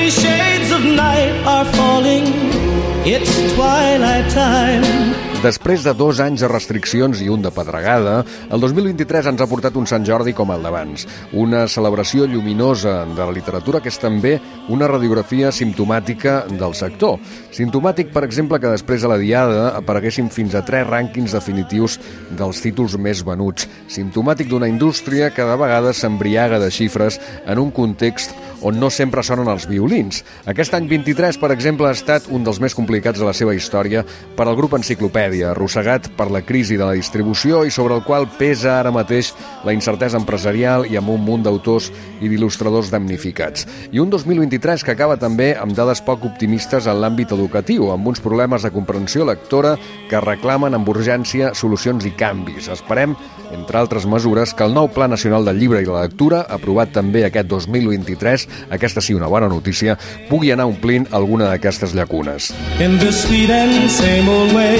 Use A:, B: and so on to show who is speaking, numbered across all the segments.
A: Many shades of night are falling. It's twilight time.
B: Després de 2 anys de restriccions i un de pedregada, el 2023 ens ha portat un Sant Jordi com el d'abans. Una celebració lluminosa de la literatura que és també una radiografia simptomàtica del sector. Simptomàtic, per exemple, que després de la Diada apareguessin fins a 3 rànquings definitius dels títols més venuts. Simptomàtic d'una indústria que de vegades s'embriaga de xifres en un context on no sempre sonen els violins. Aquest any 23, per exemple, ha estat un dels més complicats de la seva història per al grup Enciclopèdia, arrossegat per la crisi de la distribució i sobre el qual pesa ara mateix la incertesa empresarial i amb un munt d'autors i d'il·lustradors damnificats. I un 2023 que acaba també amb dades poc optimistes en l'àmbit educatiu, amb uns problemes de comprensió lectora que reclamen amb urgència solucions i canvis. Esperem, entre altres mesures, que el nou Pla Nacional del Llibre i la Lectura, aprovat també aquest 2023, aquesta sí una bona notícia, pugui anar omplint alguna d'aquestes llacunes.
A: In the sweet and same old way,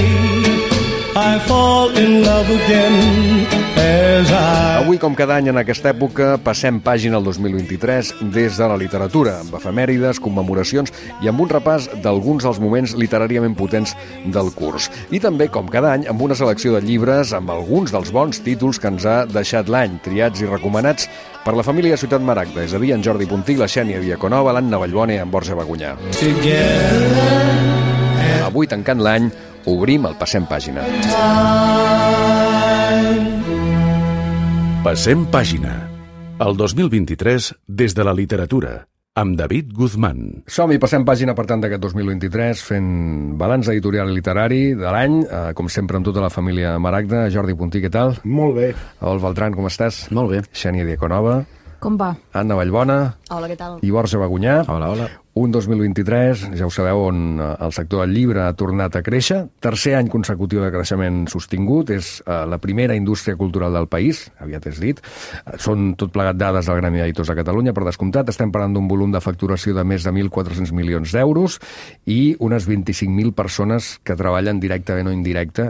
A: I fall in love again as I...
B: Avui, com cada any en aquesta època, passem pàgina al 2023 des de la literatura, amb efemèrides, commemoracions i amb un repàs d'alguns dels moments literàriament potents del curs. I també, com cada any, amb una selecció de llibres amb alguns dels bons títols que ens ha deixat l'any, triats i recomanats per la família Ciutat Maragda, és a dir, en Jordi Puntí, la Xènia Diaconova, l'Anna Vallbona i en Borja Bagunyà. Avui, tancant l'any, obrim el Passem Pàgina.
C: Passem Pàgina. El 2023 des de la literatura, amb David Guzmán.
B: Som-hi, passem pàgina, per tant, d'aquest 2023, fent balanç editorial i literari de l'any, com sempre amb tota la família Maragda. Jordi Puntí, què tal?
D: Molt bé.
B: Adolf Beltrán, com estàs?
D: Molt bé.
B: Xènia Diaconova.
E: Com va?
B: Anna Vallbona.
E: Hola, què tal?
B: I Borja Bagunyà.
D: Hola, hola.
B: Un 2023, ja ho sabeu, on el sector del llibre ha tornat a créixer. Tercer any consecutiu de creixement sostingut. És la primera indústria cultural del país, aviat és dit. Són tot plegat dades del Gremi d'Editors de Catalunya, per descomptat. Estem parlant d'un volum de facturació de més de 1.400 milions d'euros i unes 25.000 persones que treballen directament o indirecte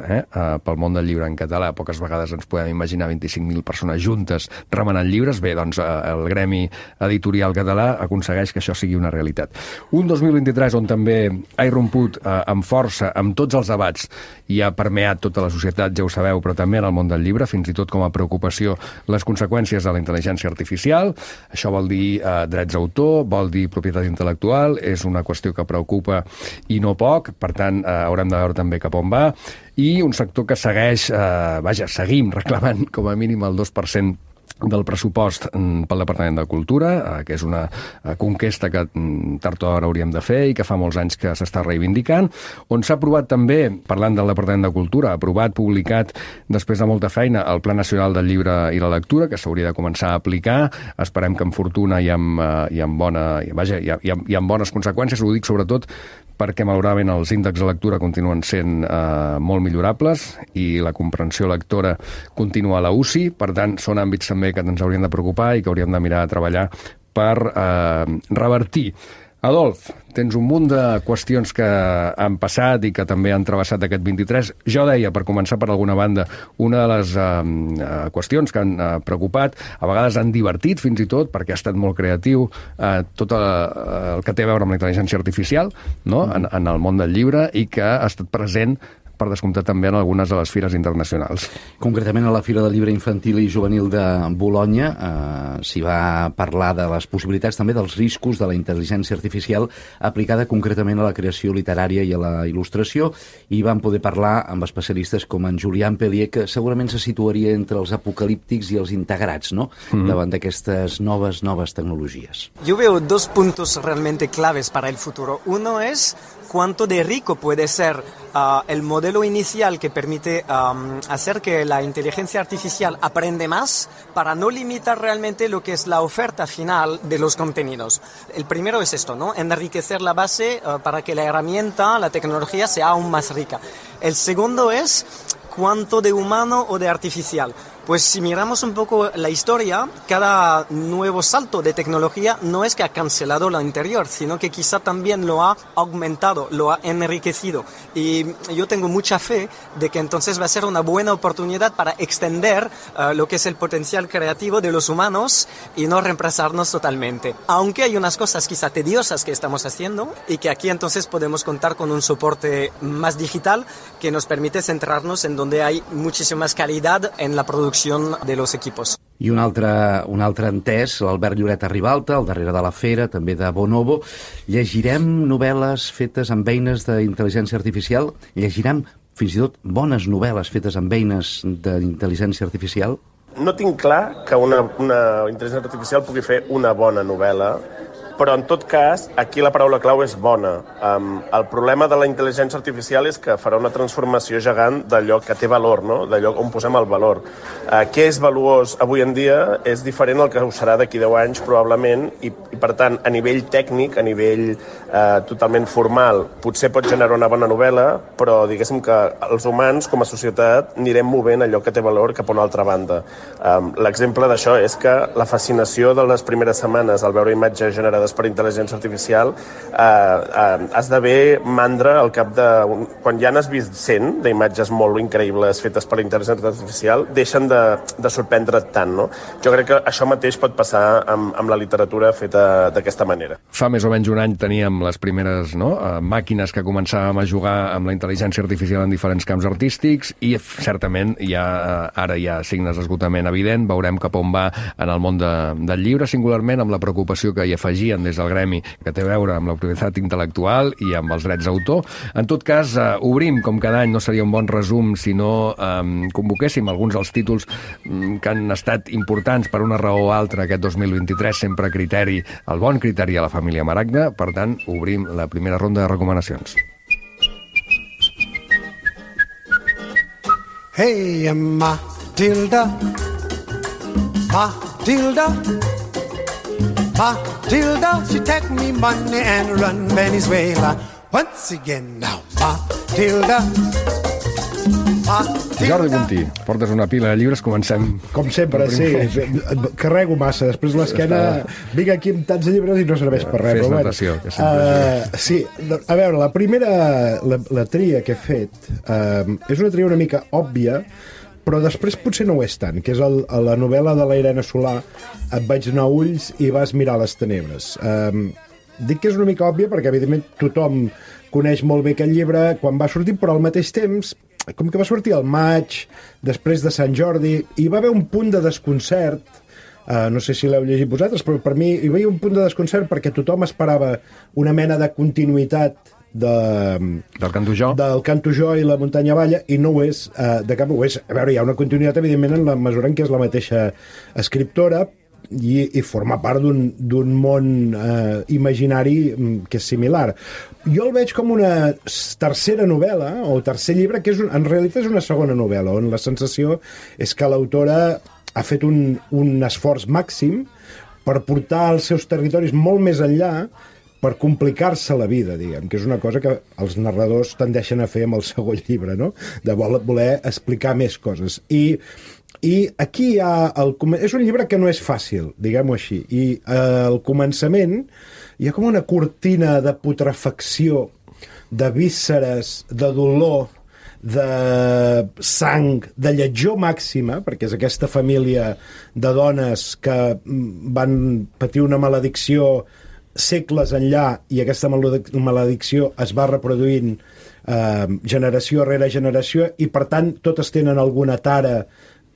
B: pel món del llibre en català. Poques vegades ens podem imaginar 25.000 persones juntes remenant llibres. Bé, doncs el Gremi Editorial Català aconsegueix que això sigui una realitat. Un 2023 on també ha irromput amb força amb tots els debats i ha permeat tota la societat, ja ho sabeu, però també en el món del llibre, fins i tot com a preocupació, les conseqüències de la intel·ligència artificial. Això vol dir drets d'autor, vol dir propietat intel·lectual, és una qüestió que preocupa i no poc, per tant, haurem de veure també cap on va. I un sector que segueix, seguim reclamant com a mínim el 2% del pressupost pel Departament de Cultura, que és una conquesta que tard o d'hora hauríem de fer i que fa molts anys que s'està reivindicant, on s'ha aprovat també, parlant del Departament de Cultura, aprovat, publicat, després de molta feina, el Pla Nacional del Llibre i la Lectura, que s'hauria de començar a aplicar. Esperem que amb fortuna i amb bones conseqüències. Ho dic sobretot perquè malauradament els índexs de lectura continuen sent molt millorables i la comprensió lectora continua a la UCI. Per tant, són àmbits també que ens haurien de preocupar i que hauríem de mirar a treballar per revertir. Adolf, tens un munt de qüestions que han passat i que també han travessat aquest 23. Jo deia, per començar per alguna banda, una de les qüestions que han preocupat, a vegades han divertit fins i tot, perquè ha estat molt creatiu, tot el que té a veure amb la intel·ligència artificial, no? En el món del llibre, i que ha estat present per descomptat també en algunes de les fires internacionals.
D: Concretament a la Fira del Llibre Infantil i Juvenil de Bolonya s'hi va parlar de les possibilitats també dels riscos de la intel·ligència artificial aplicada concretament a la creació literària i a la il·lustració, i van poder parlar amb especialistes com en Julián Pellier, que segurament se situaria entre els apocalíptics i els integrats, ¿no? Davant d'aquestes noves tecnologies.
F: Yo veo 2 puntos realmente claves para el futuro. Uno es cuánto de rico puede ser el modelo inicial que permite hacer que la inteligencia artificial aprende más para no limitar realmente lo que es la oferta final de los contenidos. El primero es esto, ¿no? Enriquecer la base para que la herramienta, la tecnología, sea aún más rica. El segundo es cuánto de humano o de artificial. Pues si miramos un poco la historia, cada nuevo salto de tecnología no es que ha cancelado lo anterior, sino que quizá también lo ha aumentado, lo ha enriquecido. Y yo tengo mucha fe de que entonces va a ser una buena oportunidad para extender lo que es el potencial creativo de los humanos y no reemplazarnos totalmente. Aunque hay unas cosas quizá tediosas que estamos haciendo y que aquí entonces podemos contar con un soporte más digital que nos permite centrarnos en donde hay muchísima más calidad en la producción de los equipos.
D: I un altre entès, l'Albert Lloret a Ribalta, al darrere de la Fera, també de Bonobo. Llegirem novel·les fetes amb eines d'intel·ligència artificial? Llegirem fins i tot bones novel·les fetes amb eines d'intel·ligència artificial?
E: No tinc clar que una intel·ligència artificial pugui fer una bona novel·la, però en tot cas, aquí la paraula clau és bona. El problema de la intel·ligència artificial és que farà una transformació gegant d'allò que té valor, no? D'allò on posem el valor. Què és valuós avui en dia és diferent al que ho serà d'aquí 10 anys, probablement, i per tant, a nivell tècnic, a nivell totalment formal, potser pot generar una bona novel·la, però diguéssim que els humans, com a societat, anirem movent allò que té valor cap a una altra banda. L'exemple d'això és que la fascinació de les primeres setmanes al veure imatges generades per intel·ligència artificial esdevé mandra al cap de... Quan ja n'has vist 100 d'imatges molt increïbles fetes per intel·ligència artificial, deixen de sorprendre't tant, no? Jo crec que això mateix pot passar amb la literatura feta d'aquesta manera.
B: Fa més o menys un any teníem les primeres màquines que començàvem a jugar amb la intel·ligència artificial en diferents camps artístics i certament ara hi ha signes d'esgotament evident. Veurem cap on va en el món del llibre, singularment amb la preocupació que hi afegien des del gremi, que té a veure amb la propietat intel·lectual i amb els drets d'autor. En tot cas, obrim, com cada any, no seria un bon resum si no convoquéssim alguns dels títols que han estat importants per una raó o altra aquest 2023, sempre criteri, el bon criteri a la família Maragda. Per tant, obrim la primera ronda de recomanacions.
A: Hey, Matilda, Matilda, Matilda, she take me money and run Venezuela. Once again now, Matilda, Matilda.
B: Jordi Puntí, portes una pila de llibres, comencem...
G: Com sempre, sí, carrego massa, després l'esquena... Vinc aquí amb tants de llibres i no serveix per res.
B: Fes natació, que sempre...
G: Sí, a veure, la primera, la tria que he fet, és una tria una mica òbvia, però després potser no ho és tant, que és la novel·la de la Irene Solà, Et vaig donar ulls i vas mirar les tenebres. Dic que és una mica òbvia perquè, evidentment, tothom coneix molt bé aquest llibre quan va sortir, però al mateix temps, com que va sortir al maig, després de Sant Jordi, hi va haver un punt de desconcert, no sé si l'heu llegit vosaltres, però per mi hi va haver un punt de desconcert perquè tothom esperava una mena de continuïtat del Canto Jo i la Muntanya Balla, i no ho és, de cap ho és. A veure, hi ha una continuïtat, evidentment, en la mesura en què és la mateixa escriptora i forma part d'un món imaginari que és similar. Jo el veig com una tercera novel·la, o tercer llibre, que en realitat és una segona novel·la, on la sensació és que l'autora ha fet un esforç màxim per portar els seus territoris molt més enllà, per complicar-se la vida, diguem, que és una cosa que els narradors tendeixen a fer amb el segon llibre, no? De voler explicar més coses. I aquí hi ha... És un llibre que no és fàcil, diguem-ho així, i al començament hi ha com una cortina de putrefacció, de vísceres, de dolor, de sang, de lletjor màxima, perquè és aquesta família de dones que van patir una maledicció segles enllà, i aquesta maledicció es va reproduint generació rere generació, i per tant totes tenen alguna tara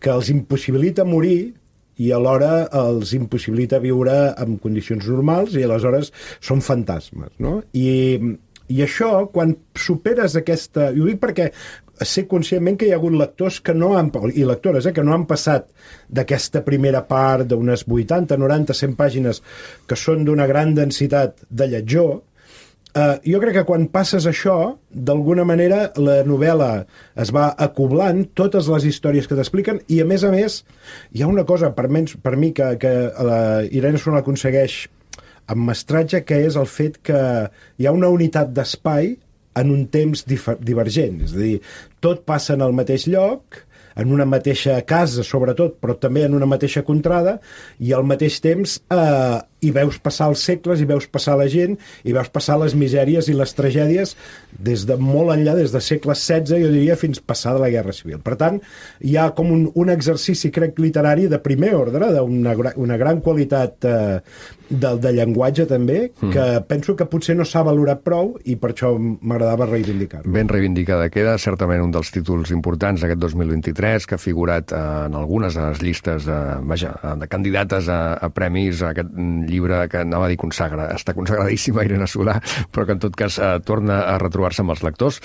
G: que els impossibilita morir i alhora els impossibilita viure en condicions normals, i aleshores són fantasmes, no? I això, quan superes aquesta... I ho dic perquè sé conscientment que hi ha hagut lectors que no han, i lectores que no han passat d'aquesta primera part d'unes 80, 90, 100 pàgines que són d'una gran densitat de lletjor. Jo crec que quan passes això, d'alguna manera la novel·la es va acoblant, totes les històries que t'expliquen, i a més, hi ha una cosa per mi que la Irene Solà aconsegueix amb mestratge, que és el fet que hi ha una unitat d'espai en un temps divergent. És a dir, tot passa en el mateix lloc, en una mateixa casa, sobretot, però també en una mateixa contrada, i al mateix temps hi veus passar els segles, hi veus passar la gent, hi veus passar les misèries i les tragèdies des de molt enllà, des de segle XVI, jo diria, fins passada la Guerra Civil. Per tant, hi ha com un exercici, crec, literari de primer ordre, d'una gran qualitat de llenguatge també, que penso que potser no s'ha valorat prou i per això m'agradava reivindicar-lo.
B: Ben reivindicada queda, certament un dels títols importants d'aquest 2023, que ha figurat en algunes de les llistes de candidates a premis, a aquest llibre que anava a dir consagra. Està consagradíssima Irene Solà, però que en tot cas torna a retrobar-se amb els lectors.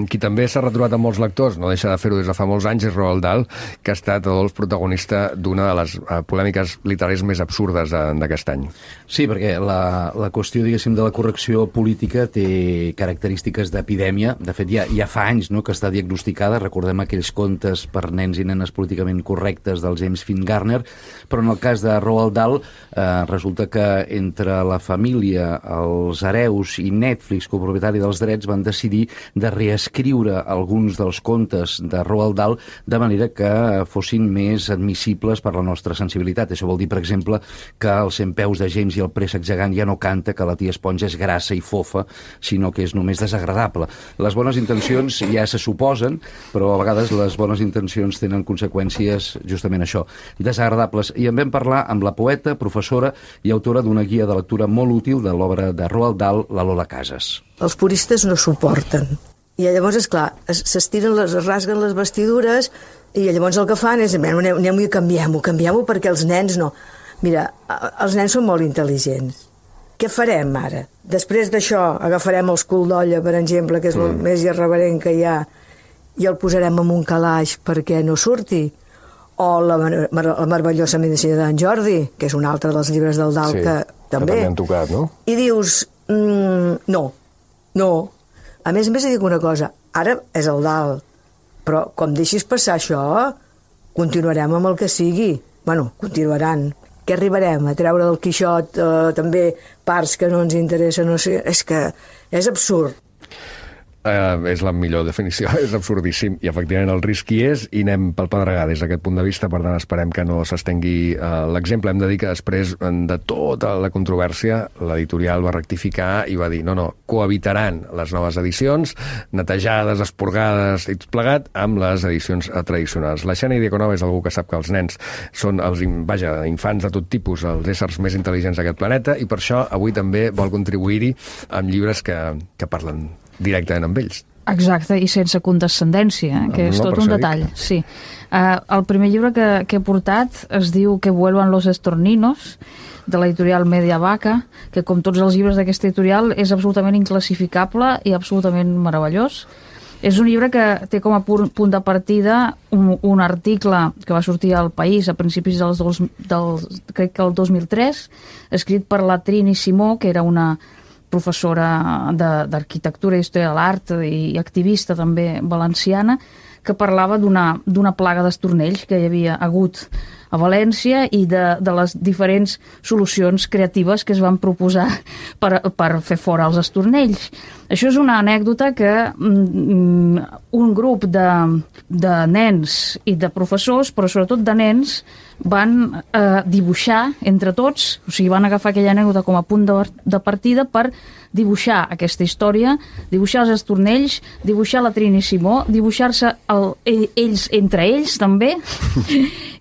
B: Qui també s'ha retrobat amb molts lectors, no deixa de fer-ho des de fa molts anys, és Roald Dahl, que ha estat protagonista d'una de les polèmiques literàries més absurdes d'aquest any.
D: Sí, perquè la qüestió, diguéssim, de la correcció política té característiques d'epidèmia. De fet, ja fa anys, no?, que està diagnosticada. Recordem aquells contes per nens i nenes políticament correctes del James Fingarner, però en el cas de Roald Dahl resulta que entre la família, els hereus i Netflix, copropietari dels drets, van decidir de reescriure alguns dels contes de Roald Dahl de manera que fossin més admissibles per la nostra sensibilitat. Això vol dir, per exemple, que els 100 peus de James i el préssec gegant ja no canta que la tia Esponja és grassa i fofa, sinó que és només desagradable. Les bones intencions ja se suposen, però a vegades les bones intencions tenen conseqüències justament això, desagradables. I en vam parlar amb la poeta, professora i autora d'una guia de lectura molt útil de l'obra de Roald Dahl, la Lola Casas.
H: Els puristes no suporten. I llavors, esclar, s'estiren, es rasguen les vestidures i llavors el que fan és anem i canviem-ho perquè els nens no. Mira, els nens són molt intel·ligents. Què farem ara? Després d'això agafarem els cul d'olla, per exemple, que és el més irreverent que hi ha, i el posarem en un calaix perquè no surti? O la meravellosa medicina d'en Jordi, que és un altre dels llibres del Dahl, que també
B: han tocat, no?
H: I dius, no. A més, dic una cosa, ara és el Dahl, però com deixis passar això, continuarem amb el que sigui. Bueno, continuaran. Què arribarem? A treure del Quixot també parts que no ens interessen? No sé, és que és absurd.
B: És la millor definició, és absurdíssim, i efectivament el risc hi és, i anem pel pedregar des d'aquest punt de vista. Per tant, esperem que no s'estengui l'exemple. Hem de dir que després de tota la controvèrsia, l'editorial va rectificar i va dir, no, cohabitaran les noves edicions, netejades, esporgades i tot plegat, amb les edicions tradicionals. La Xènia Diaconova és algú que sap que els nens són els infants de tot tipus, els éssers més intel·ligents d'aquest planeta, i per això avui també vol contribuir-hi amb llibres que parlen directament amb ells.
I: Exacte, i sense condescendència, que és tot un detall. Sí. El primer llibre que he portat es diu Que vuelvan los estorninos, de l'editorial Media Vaca, que com tots els llibres d'aquesta editorial és absolutament inclassificable i absolutament meravellós. És un llibre que té com a punt de partida un article que va sortir al País a principis crec que el 2003, escrit per la Trini Simó, que era una professora d'arquitectura i història de l'art i activista també valenciana, que parlava d'una plaga d'estornells que hi havia hagut a València i de les diferents solucions creatives que es van proposar per fer fora els estornells. Això és una anècdota que un grup de nens i de professors, però sobretot de nens, van dibuixar entre tots, o sigui, van agafar aquella anècdota com a punt de partida per dibuixar aquesta història, dibuixar els estornells, dibuixar la Trini Simó, dibuixar-se ells entre ells també,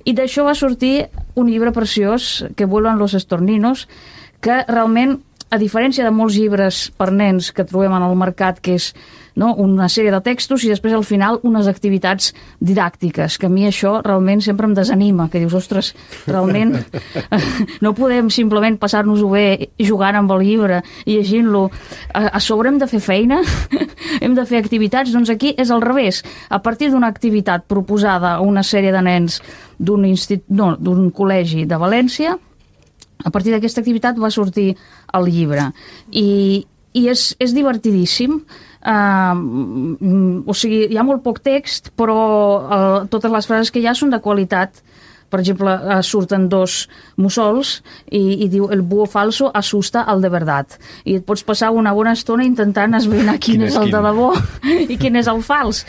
I: i d'això va sortir un llibre preciós, Que vuelvan los estorninos, que realment, a diferència de molts llibres per nens que trobem en el mercat, que és una sèrie de textos i després al final unes activitats didàctiques, que a mi això realment sempre em desanima, que dius, ostres, realment no podem simplement passar-nos-ho bé jugant amb el llibre i llegint-lo, a sobre hem de fer feina, hem de fer activitats. Doncs aquí és al revés, a partir d'una activitat proposada a una sèrie de nens d'un col·legi de València, a partir d'aquesta activitat va sortir el llibre i és divertidíssim. O sigui, hi ha molt poc text, però totes les frases que hi ha són de qualitat. Per exemple, surten dos mussols i diu el búho falso asusta al de verdad. I et pots passar una bona estona intentant esbrinar quin és el de debò i quin és el fals.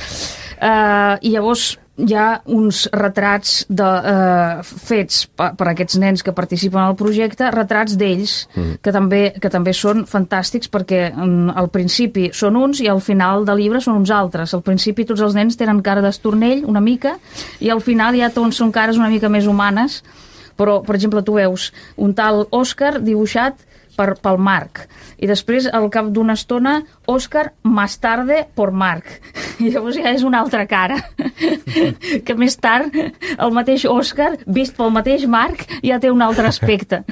I: I llavors hi ha uns retrats fets per aquests nens que participen al projecte, retrats d'ells, que també són fantàstics, perquè al principi són uns i al final del llibre són uns altres. Al principi tots els nens tenen cara d'estornell, una mica, i al final ja tots són cares una mica més humanes. Però, per exemple, tu veus un tal Òscar dibuixat pel Marc, i després, al cap d'una estona, Òscar más tarde por Marc. I llavors ja és una altra cara, que més tard el mateix Òscar, vist pel mateix Marc, ja té un altre aspecte.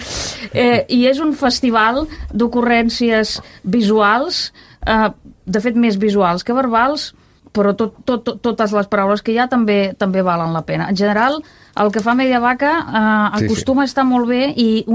I: I és un festival d'ocurrències visuals, de fet més visuals que verbals, però totes les paraules que hi ha també valen la pena. En general, el que fa Mediavaca acostuma a estar molt bé, i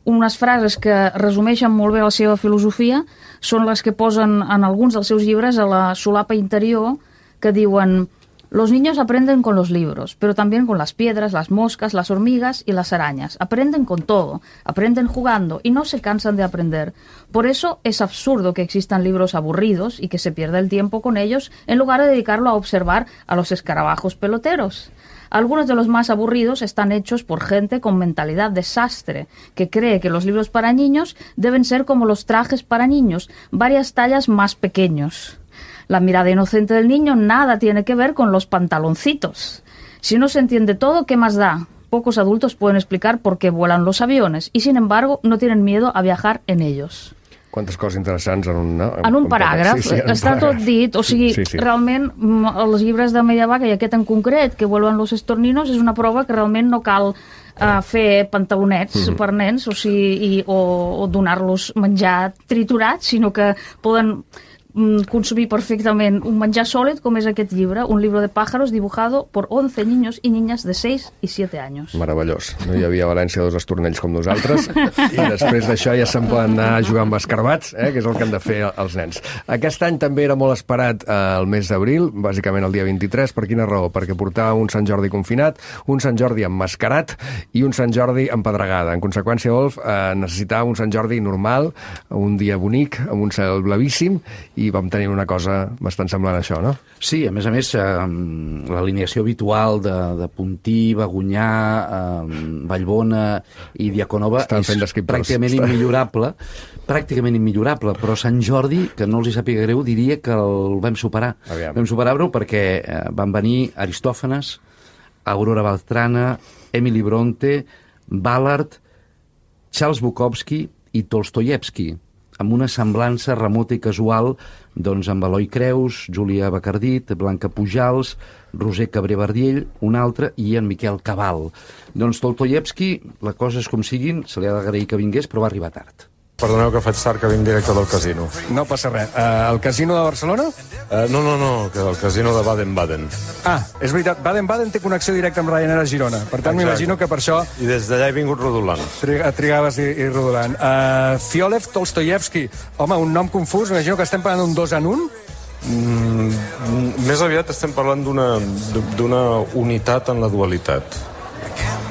I: unes frases que resumeixen molt bé la seva filosofia són les que posen en alguns dels seus llibres a la solapa interior, que diuen: los niños aprenden con los libros, pero también con las piedras, las moscas, las hormigas y las arañas. Aprenden con todo, aprenden jugando y no se cansan de aprender. Por eso es absurdo que existan libros aburridos y que se pierda el tiempo con ellos en lugar de dedicarlo a observar a los escarabajos peloteros. Algunos de los más aburridos están hechos por gente con mentalidad de sastre, que cree que los libros para niños deben ser como los trajes para niños, varias tallas más pequeños. La mirada inocente del niño nada tiene que ver con los pantaloncitos. Si no se entiende todo, ¿qué más da? Pocos adultos pueden explicar por qué vuelan los aviones y, sin embargo, no tienen miedo a viajar en ellos.
B: Quantes coses interessants en
I: un paràgraf. Sí, està tot dit. O sigui, realment, els llibres de Mediavaca, i aquest en concret, que vuelven los estorninos, és una prova que realment no cal fer pantalonets per nens, o sigui, o donar-los menjar triturat, sinó que poden consumir perfectament un menjar sòlid, com és aquest llibre, un libro de pájaros dibujado por 11 niños y niñas de 6 y 7 años.
B: Meravellós. No hi havia a València dos estornells com nosaltres, i després d'això ja se'n poden anar a jugar amb escarbats, que és el que han de fer els nens. Aquest any també era molt esperat el mes d'abril, bàsicament el dia 23. Per quina raó? Perquè portava un Sant Jordi confinat, un Sant Jordi emmascarat i un Sant Jordi empedregada. En conseqüència, Wolf necessitava un Sant Jordi normal, un dia bonic, amb un cel blavíssim, i vam tenir una cosa bastant semblant a això, no?
D: Sí, a més, l'alineació habitual de Puntí, Bagonyà, Vallbona i Diaconova és pràcticament immillorable, però Sant Jordi, que no els hi sàpiga greu, diria que el vam superar. Vam superar-ho perquè van venir Aristòfanes, Aurora Beltrana, Emily Bronte, Ballard, Charles Bukowski i Tolstoyevski, amb una semblança remota i casual amb Eloi Creus, Júlia Bacardit, Blanca Pujals, Roser Cabré Verdiell, un altre, i en Miquel Cabal. Tolstoyevski, la cosa és com siguin, se li ha d'agrair que vingués, però va arribar tard.
J: Perdoneu que faig tard, que vinc directe del casino.
B: No passa res. El casino de Barcelona?
J: No, que el casino de Baden-Baden.
B: És veritat, Baden-Baden té connexió directa amb Ryanair a Girona. Per tant, m'imagino que per això...
J: I des d'allà he vingut rodolant.
B: Trigaves i rodolant. Fiolev Tolstoyevski. Home, un nom confús, m'imagino que estem parlant d'un 2 en 1?
J: Més aviat estem parlant d'una unitat en la dualitat.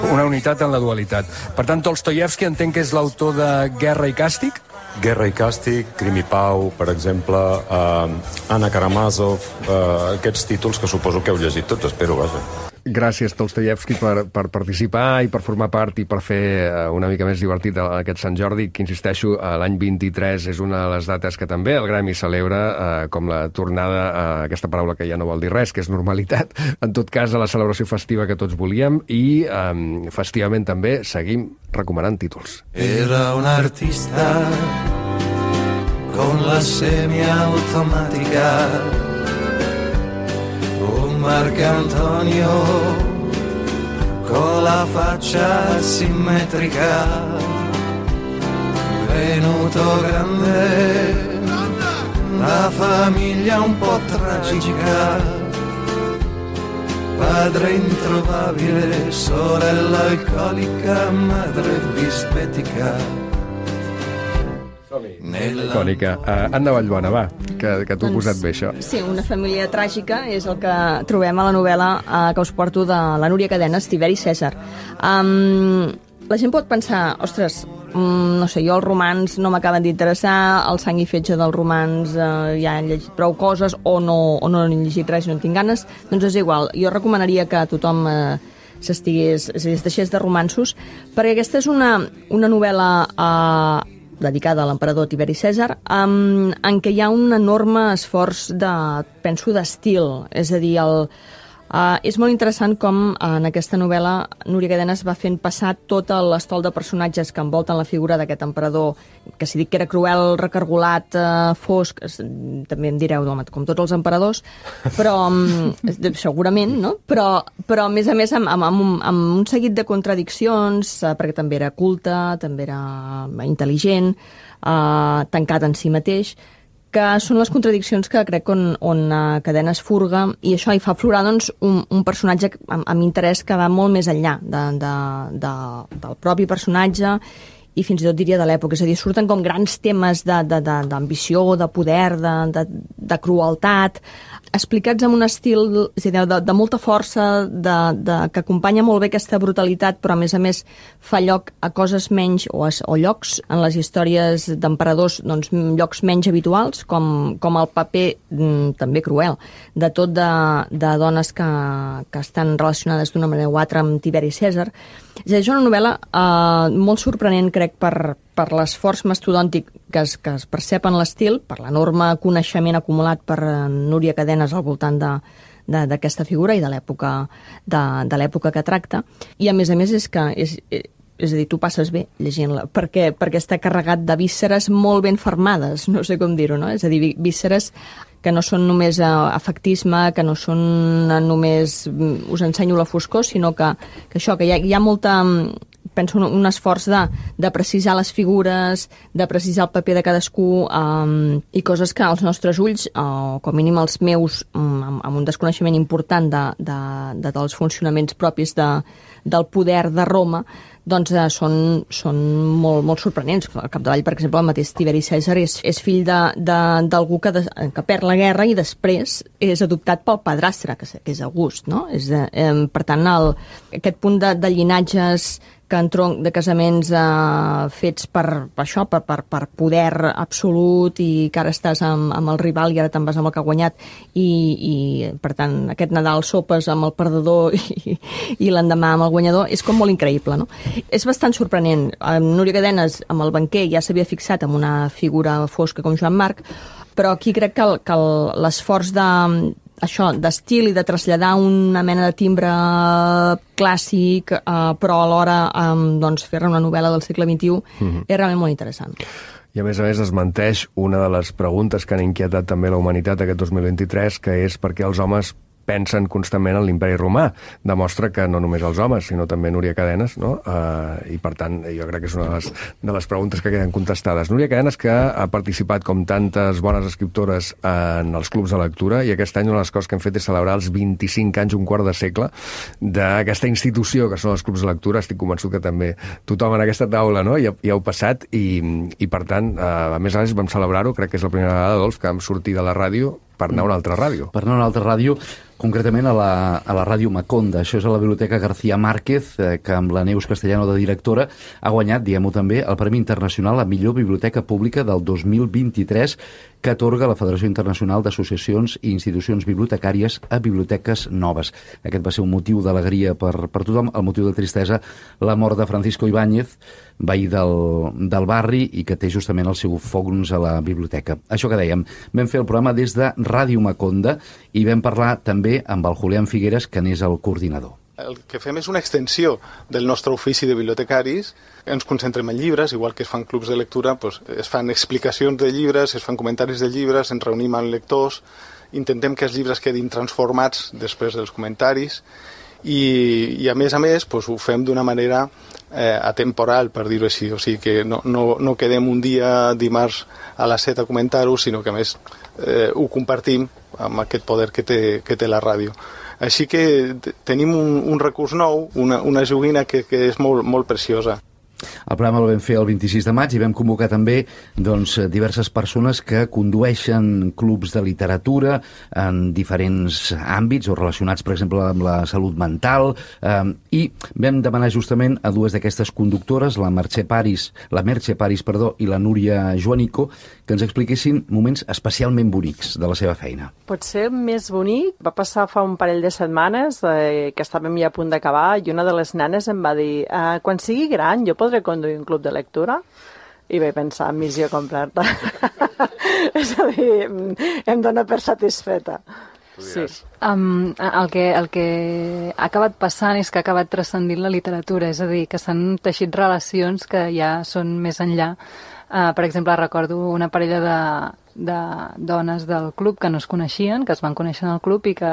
B: Una unitat en la dualitat. Per tant, Tolstoyevski entenc que és l'autor de Guerra i Càstig?
J: Guerra i Càstig, Crim i Pau, per exemple, Anna Karamazov, aquests títols que suposo que heu llegit tots, espero, vaja.
B: Gràcies, Tolstoyevski, per participar i per formar part i per fer una mica més divertit aquest Sant Jordi, que, insisteixo, l'any 23 és una de les dates que també el Gremi celebra com la tornada a aquesta paraula que ja no vol dir res, que és normalitat, en tot cas, a la celebració festiva que tots volíem, i festivament també seguim recomanant títols.
K: Era un artista con la semiautomática, un Marcantonio con la faccia simmetrica, venuto grande, la famiglia un po' tragica, padre introvabile, sorella alcolica, madre bisbetica.
B: Cònica. Anna Vallbona, va, que t'ho he posat bé, això.
L: Sí, una família tràgica és el que trobem a la novel·la que us porto de la Núria Cadenes, Tiberi Cèsar. la gent pot pensar, ostres, no sé, jo els romans no m'acaben d'interessar, el Sang i Fetge dels romans ja he llegit prou coses, o no he llegit res i no en tinc ganes, doncs és igual. Jo recomanaria que tothom es deixés de romanços, perquè aquesta és una novel·la dedicada a l'emperador Tiberi Cèsar, en què hi ha un enorme esforç d'estil, és a dir, és molt interessant com en aquesta novel·la Núria Cadenes va fent passar tot l'estol de personatges que envolten la figura d'aquest emperador, que si dic que era cruel, recargolat, fosc, també em direu, home, com tots els emperadors, però segurament, no? Però a més amb un seguit de contradiccions, perquè també era culte, també era intel·ligent, tancat en si mateix, que són les contradiccions que crec on Cadenes furga, i això hi fa aflorar doncs, un personatge amb interès que va molt més enllà del propi personatge i fins i tot diria de l'època. És a dir, surten com grans temes d'ambició, de poder, de crueltat, explicats amb un estil de molta força, que acompanya molt bé aquesta brutalitat, però a més fa lloc a coses menys, o llocs en les històries d'emperadors, doncs, llocs menys habituals, com el paper també cruel de tot de dones que estan relacionades d'una manera o altra amb Tiberi Cèsar. És una novel·la molt sorprenent, crec, per l'esforç mastodòntic que es percep en l'estil, per l'enorme coneixement acumulat per Núria Cadenes al voltant d'aquesta figura i de l'època que tracta. I a més és que és a dir, tu passes bé llegint-la, perquè està carregat de vísceres molt ben fermades, no sé com dir-ho, no? És a dir, vísceres que no són només afectisme, que no són només us ensenyo la foscor, sinó que hi ha molta, penso, un esforç de precisar les figures, de precisar el paper de cadascú, i coses que els nostres ulls, o com a mínim els meus, amb un desconeixement important dels funcionaments propis del poder de Roma, doncs són molt sorprenents. Al capdavall, per exemple, el mateix Tiberi Cèsar és fill d'algú que perd la guerra i després és adoptat pel padrastre, que és August, no? Per tant, aquest punt de llinatges de casaments fets per poder absolut, i que ara estàs amb el rival i ara te'n vas amb el que ha guanyat, i per tant aquest Nadal sopes amb el perdedor i l'endemà amb el guanyador, és com molt increïble, no? És bastant sorprenent. Núria Cadenes amb el banquer ja s'havia fixat en una figura fosca com Joan Marc, però aquí crec que l'esforç d'estil i de traslladar una mena de timbre clàssic, però alhora fer-ne una novel·la del segle XXI és realment molt interessant.
B: I a més desmenteix una de les preguntes que han inquietat també la humanitat aquest 2023, que és per què els homes pensen constantment en l'imperi romà. Demostra que no només els homes, sinó també Núria Cadenes, no? I per tant, jo crec que és una de les preguntes que queden contestades. Núria Cadenes, que ha participat com tantes bones escriptores en els clubs de lectura, i aquest any una de les coses que hem fet és celebrar els 25 anys, un quart de segle, d'aquesta institució que són els clubs de lectura. Estic convençut que també tothom en aquesta taula, no? Ja heu passat, i per tant, a més vam celebrar-ho, crec que és la primera vegada, Adolf, que vam sortir de la ràdio per anar a una altra ràdio.
D: Per anar a una altra ràdio, concretament a la ràdio Maconda. Això és a la Biblioteca García Márquez, que amb la Neus Castellano de directora ha guanyat, diguem-ho també, el Premi Internacional a Millor Biblioteca Pública del 2023, que atorga la Federació Internacional d'Associacions i Institucions Bibliotecàries a biblioteques noves. Aquest va ser un motiu d'alegria per tothom. El motiu de tristesa, la mort de Francisco Ibáñez, veí del barri, i que té justament el seu fons a la biblioteca. Això que dèiem, vam fer el programa des de Ràdio Maconda i vam parlar també amb el Julián Figueres, que n'és el coordinador.
M: El que fem és una extensió del nostre ofici de bibliotecaris. Ens concentrem en llibres, igual que es fan clubs de lectura, doncs es fan explicacions de llibres, es fan comentaris de llibres, ens reunim amb lectors, intentem que els llibres quedin transformats després dels comentaris, i a més doncs ho fem d'una manera atemporal, per dir-ho així. O sigui que no quedem un dia dimarts a les 7 a comentar-ho, sinó que a més ho compartim amb aquest poder que té la ràdio. Així que tenim un recurs nou, una joguina que és molt preciosa.
D: El programa el vam fer el 26 de maig i vam convocar també diverses persones que condueixen clubs de literatura en diferents àmbits o relacionats, per exemple, amb la salut mental, i vam demanar justament a dues d'aquestes conductores, la Mercè Paris i la Núria Joanico, que ens expliquessin moments especialment bonics de la seva feina.
N: Potser més bonic va passar fa un parell de setmanes que estàvem ja a punt d'acabar i una de les nenes em va dir quan sigui gran jo podré conduir un club de lectura? I vaig pensar, missió completa. És a dir, em dona per satisfeta. Sí.
O: El que ha acabat passant és que ha acabat transcendint la literatura, és a dir, que s'han teixit relacions que ja són més enllà. Per exemple, recordo una parella de dones del club que no es coneixien, que es van conèixer en el club i que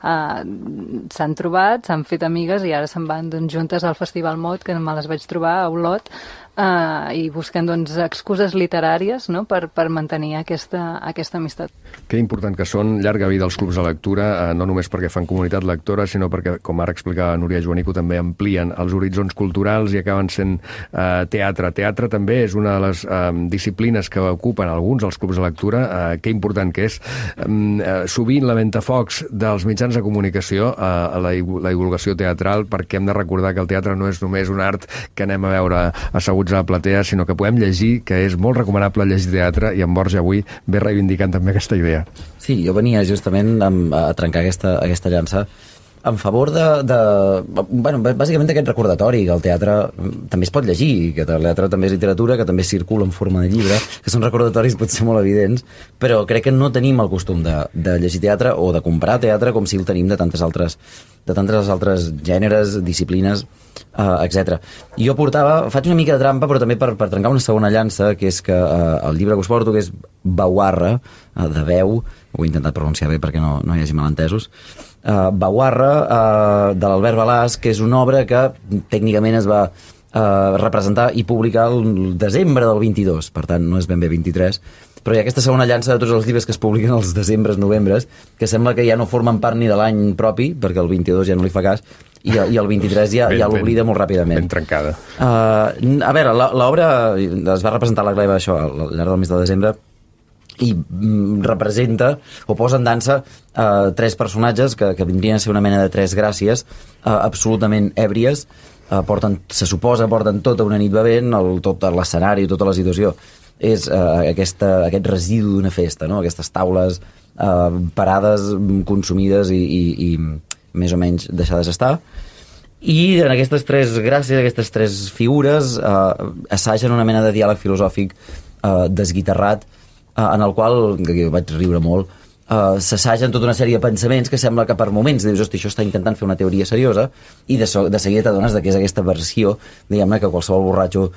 O: s'han trobat, s'han fet amigues i ara se'n van juntes al Festival Mot, que me les vaig trobar a Olot, i busquen excuses literàries, no?, per mantenir aquesta amistat.
B: Que important que són, llarga vida als clubs de lectura, no només perquè fan comunitat lectora, sinó perquè, com ara explicava Núria Joanico, també amplien els horitzons culturals i acaben sent teatre. Teatre també és una de les disciplines que ocupen alguns dels clubs de lectura. Que important que és. Sovint la ventafocs dels mitjans de comunicació a la divulgació teatral, perquè hem de recordar que el teatre no és només un art que anem a veure asseguts a la platea, sinó que podem llegir, que és molt recomanable llegir teatre, i en Borja avui ve reivindicant també aquesta idea.
P: Sí, jo venia justament a trencar aquesta llança en favor bàsicament d'aquest recordatori, que el teatre també es pot llegir, que el teatre també és literatura, que també circula en forma de llibre, que són recordatoris potser molt evidents, però crec que no tenim el costum de llegir teatre o de comprar teatre com si el tenim de tantes altres gèneres, disciplines, etc. Jo faig una mica de trampa, però també per trencar una segona llança, que és que el llibre que us porto, que és Bauarra, de veu, ho he intentat pronunciar bé perquè no hi hagi malentesos, Bauarra, de l'Albert Balàs, que és una obra que tècnicament es va representar i publicar el desembre del 22, per tant no és ben bé 23, però hi ha aquesta segona llança de tots els llibres que es publiquen als desembres, novembres, que sembla que ja no formen part ni de l'any propi, perquè el 22 ja no li fa cas, i el 23 ja l'oblida molt ràpidament.
B: Ben trencada.
P: A veure, l'obra es va representar a la Gleva això al llarg del mes de desembre, i representa o posa en dansa tres personatges que vindrien a ser una mena de tres gràcies absolutament èbries, se suposa porten tota una nit bevent, tot l'escenari, tota la situació és aquest residu d'una festa, no? Aquestes taules parades, consumides i més o menys deixades estar, i en aquestes tres gràcies, aquestes tres figures assagen una mena de diàleg filosòfic desguitarrat, en el qual, que vaig riure molt, s'assagen tota una sèrie de pensaments que sembla que per moments dius, hosti, això està intentant fer una teoria seriosa, i de seguida t'adones que és aquesta versió, diguem-ne, que qualsevol borratxo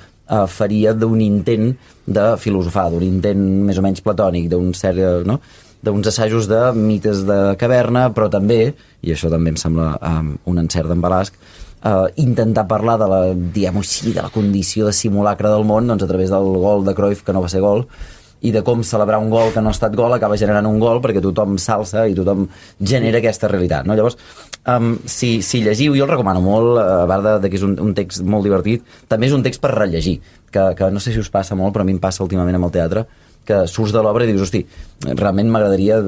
P: faria d'un intent de filosofar, d'un intent més o menys platònic, d'uns assajos de mites de caverna, però també, i això també em sembla un encert d'en Balasc, intentar parlar de la condició de simulacre del món, doncs a través del gol de Cruyff, que no va ser gol, i de com celebrar un gol que no ha estat gol acaba generant un gol perquè tothom s'alça i tothom genera aquesta realitat, no? Llavors, si llegiu, jo el recomano molt, a part que és un text molt divertit, també és un text per rellegir, que no sé si us passa molt, però a mi em passa últimament amb el teatre, que surts de l'obra i dius, hosti, realment m'agradaria,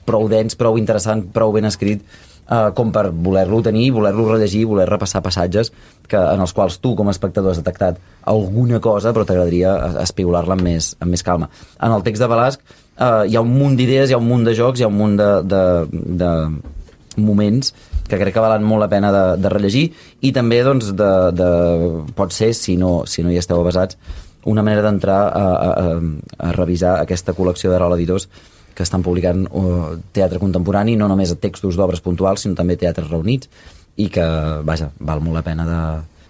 P: prou dens, prou interessant, prou ben escrit, com per voler-lo tenir, voler-lo rellegir, voler repassar passatges en els quals tu com a espectador has detectat alguna cosa, però t'agradaria espigolar-la amb més calma. En el text de Balasc hi ha un munt d'idees, hi ha un munt de jocs, hi ha un munt de moments que crec que valen molt la pena de rellegir, i també pot ser, si no hi esteu avesats, una manera d'entrar a revisar aquesta col·lecció d'Arola Editors que estan publicant teatre contemporani, no només textos d'obres puntuals, sinó també teatres reunits, i que, vaja, val molt la pena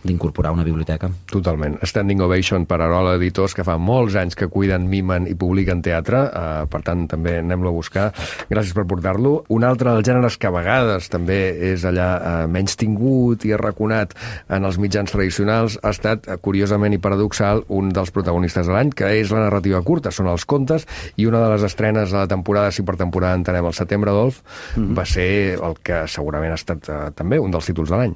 P: d'incorporar una biblioteca.
B: Totalment. Standing Ovation per Arola Editors, que fa molts anys que cuiden, mimen i publiquen teatre, per tant també anem-lo a buscar. Gràcies per portar-lo. Un altre dels gèneres que a vegades també és allà menys tingut i arraconat en els mitjans tradicionals ha estat, curiosament i paradoxal, un dels protagonistes de l'any, que és la narrativa curta, són els contes, i una de les estrenes de la temporada, si per temporada entenem el setembre, Adolf, va ser el que segurament ha estat també un dels títols de l'any.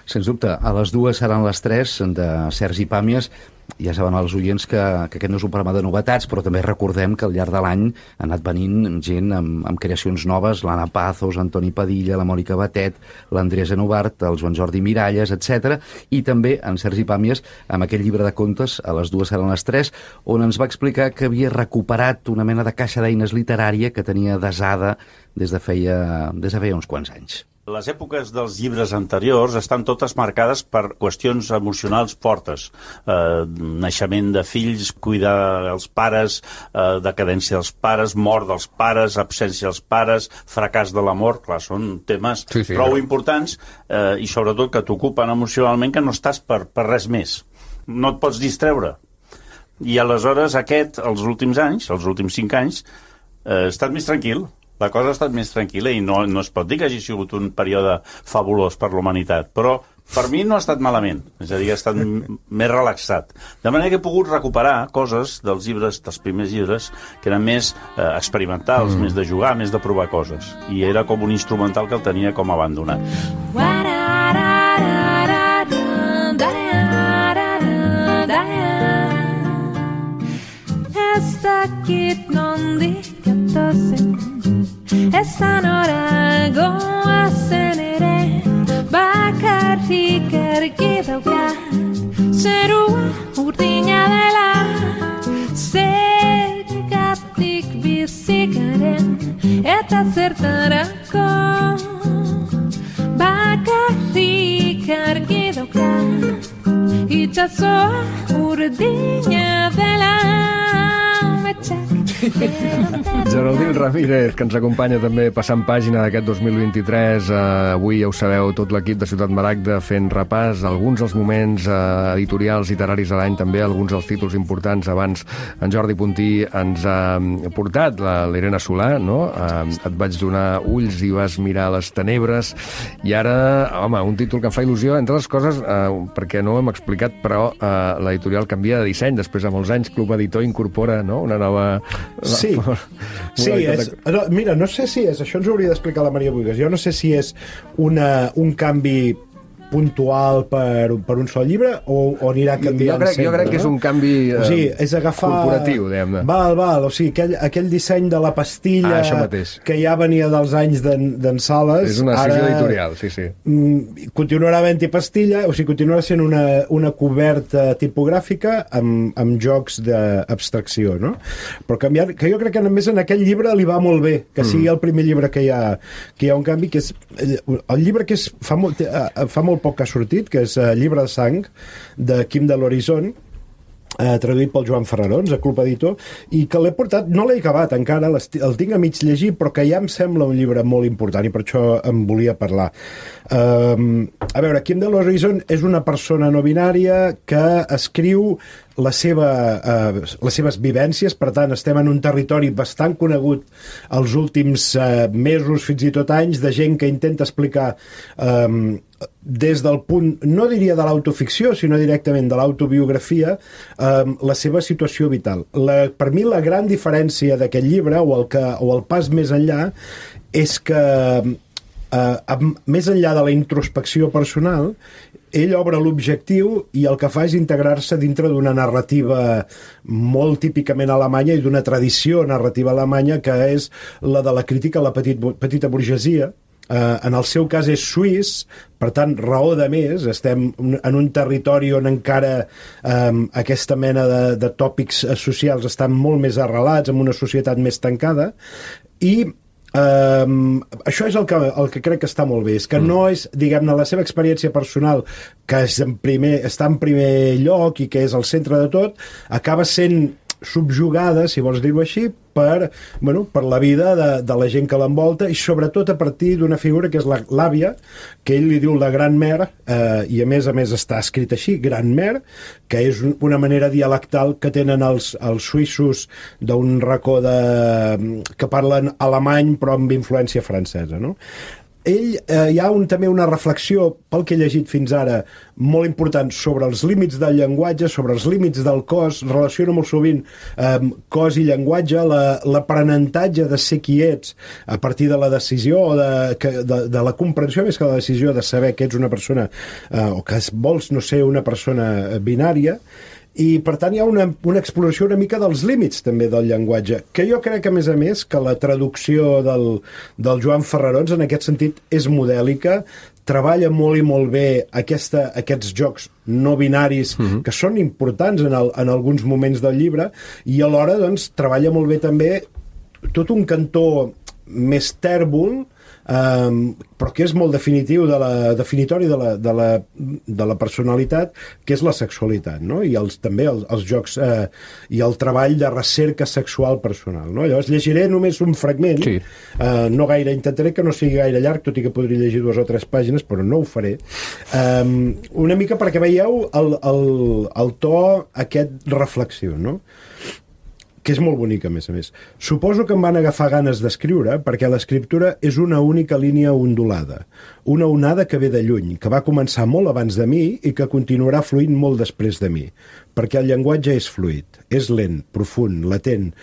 D: Sens dubte, a les 2 seran les 3 de Sergi Pàmies. Ja saben els oients que aquest no és un programa de novetats, però també recordem que al llarg de l'any ha anat venint gent amb creacions noves, l'Anna Pazos, Antoni Padilla, la Mònica Batet, l'Andrea Genovart, el Joan Jordi Miralles, etc. I també en Sergi Pàmies amb aquell llibre de contes, a les 2 seran les 3, on ens va explicar que havia recuperat una mena de caixa d'eines literària que tenia desada des de feia uns quants anys.
Q: Les èpoques dels llibres anteriors estan totes marcades per qüestions emocionals fortes. Naixement de fills, cuidar els pares, decadència dels pares, mort dels pares, absència dels pares, fracàs de l'amor. Clar, són temes prou importants i sobretot que t'ocupen emocionalment, que no estàs per res més. No et pots distreure. I aleshores els últims anys, els últims 5 anys, ha estat més tranquil. La cosa ha estat més tranquil·la i no es pot dir que hagi sigut un període fabulós per l'humanitat, però per mi no ha estat malament, és a dir, ha estat més relaxat. De manera que he pogut recuperar coses dels llibres, dels primers llibres, que eren més experimentals, més de jugar, més de provar coses. I era com un instrumental que el tenia com abandonat.
R: Esan orago azen ere bakarrik argi daukat zerua urdina dela zergatik bizikaren eta zertarako bakarrik argi daukat itxasoa urdina dela
B: Geraldine Ramírez, que ens acompanya també passant pàgina d'aquest 2023. Avui, ja ho sabeu, tot l'equip de Ciutat Maragda fent repàs alguns dels moments editorials literaris de l'any, també alguns dels títols importants. Abans en Jordi Puntí ens ha portat l'Irene Solà, no? Et vaig donar ulls i vas mirar les tenebres. I ara, home, un títol que em fa il·lusió, entre les coses, perquè no ho hem explicat, però l'editorial canvia de disseny. Després de molts anys, Club Editor incorpora, no?, una nova...
G: Sí, mira, no sé si és... Això ens ho hauria d'explicar la Maria Buigas. Jo no sé si és un canvi puntual per un sol llibre o anirà canviant sempre.
B: Jo crec que és un canvi
G: és agafar
B: corporatiu, diguem-ne.
G: Val. O sigui, aquell disseny de la pastilla que ja venia dels anys d'en Sales...
B: És una decisió editorial, sí.
G: Continuarà havent-hi pastilla, o sigui, continuarà sent una coberta tipogràfica amb jocs d'abstracció, no? Però canviar, que jo crec que només en aquell llibre li va molt bé, que sigui el primer llibre que hi ha un canvi, que és el llibre que fa molt poc que ha sortit, que és Llibre de sang, de Quim de l'Horizon, traduït pel Joan Ferrarons, a Club Editor, i que l'he portat, no l'he acabat encara, el tinc a mig llegir, però que ja em sembla un llibre molt important i per això em volia parlar. A veure, Quim de l'Horizon és una persona no binària que escriu les seves vivències, per tant estem en un territori bastant conegut els últims mesos, fins i tot anys, de gent que intenta explicar des del punt, no diria de l'autoficció, sinó directament de l'autobiografia, la seva situació vital. Per mi la gran diferència d'aquest llibre, o el pas més enllà, és que més enllà de la introspecció personal, ell obre l'objectiu i el que fa és integrar-se dintre d'una narrativa molt típicament alemanya i d'una tradició narrativa alemanya que és la de la crítica a la petita burgesia. En el seu cas és suís, per tant, raó de més, estem en un territori on encara aquesta mena de tòpics socials estan molt més arrelats, en una societat més tancada, i això és el que crec que està molt bé, és que no és, diguem-ne, la seva experiència personal que està en primer lloc i que és el centre de tot, acaba sent subjugada, si vols dir-ho així, per la vida de la gent que l'envolta i sobretot a partir d'una figura que és l'àvia, que ell li diu la gran mare, i a més està escrit així, gran mare, que és una manera dialectal que tenen els suïssos d'un racó que parlen alemany però amb influència francesa, no? hi ha també una reflexió, pel que he llegit fins ara, molt important sobre els límits del llenguatge, sobre els límits del cos, relaciona molt sovint cos i llenguatge, l'aprenentatge de ser qui ets a partir de la decisió o de la comprensió, més que la decisió de saber que ets una persona o que vols no ser una persona binària. I, per tant, hi ha una exploració una mica dels límits, també, del llenguatge, que jo crec, a més, que la traducció del Joan Ferrarons, en aquest sentit, és modèlica, treballa molt i molt bé aquests jocs no binaris, que són importants en alguns moments del llibre, i alhora, doncs, treballa molt bé també tot un cantó més tèrbol, però que és molt definitori de la personalitat, que és la sexualitat, no? I també els jocs i el treball de recerca sexual personal, no? Llavors llegiré només un fragment, no gaire, intentaré que no sigui gaire llarg, tot i que podria llegir 2 o 3 pàgines, però no ho faré, una mica perquè veieu el to aquest reflexiu, no? Que és molt bonic, a més. Suposo que em van agafar ganes d'escriure perquè l'escriptura és una única línia ondulada, una onada que ve de lluny, que va començar molt abans de mi i que continuarà fluint molt després de mi, perquè el llenguatge és fluid, és lent, profund, latent,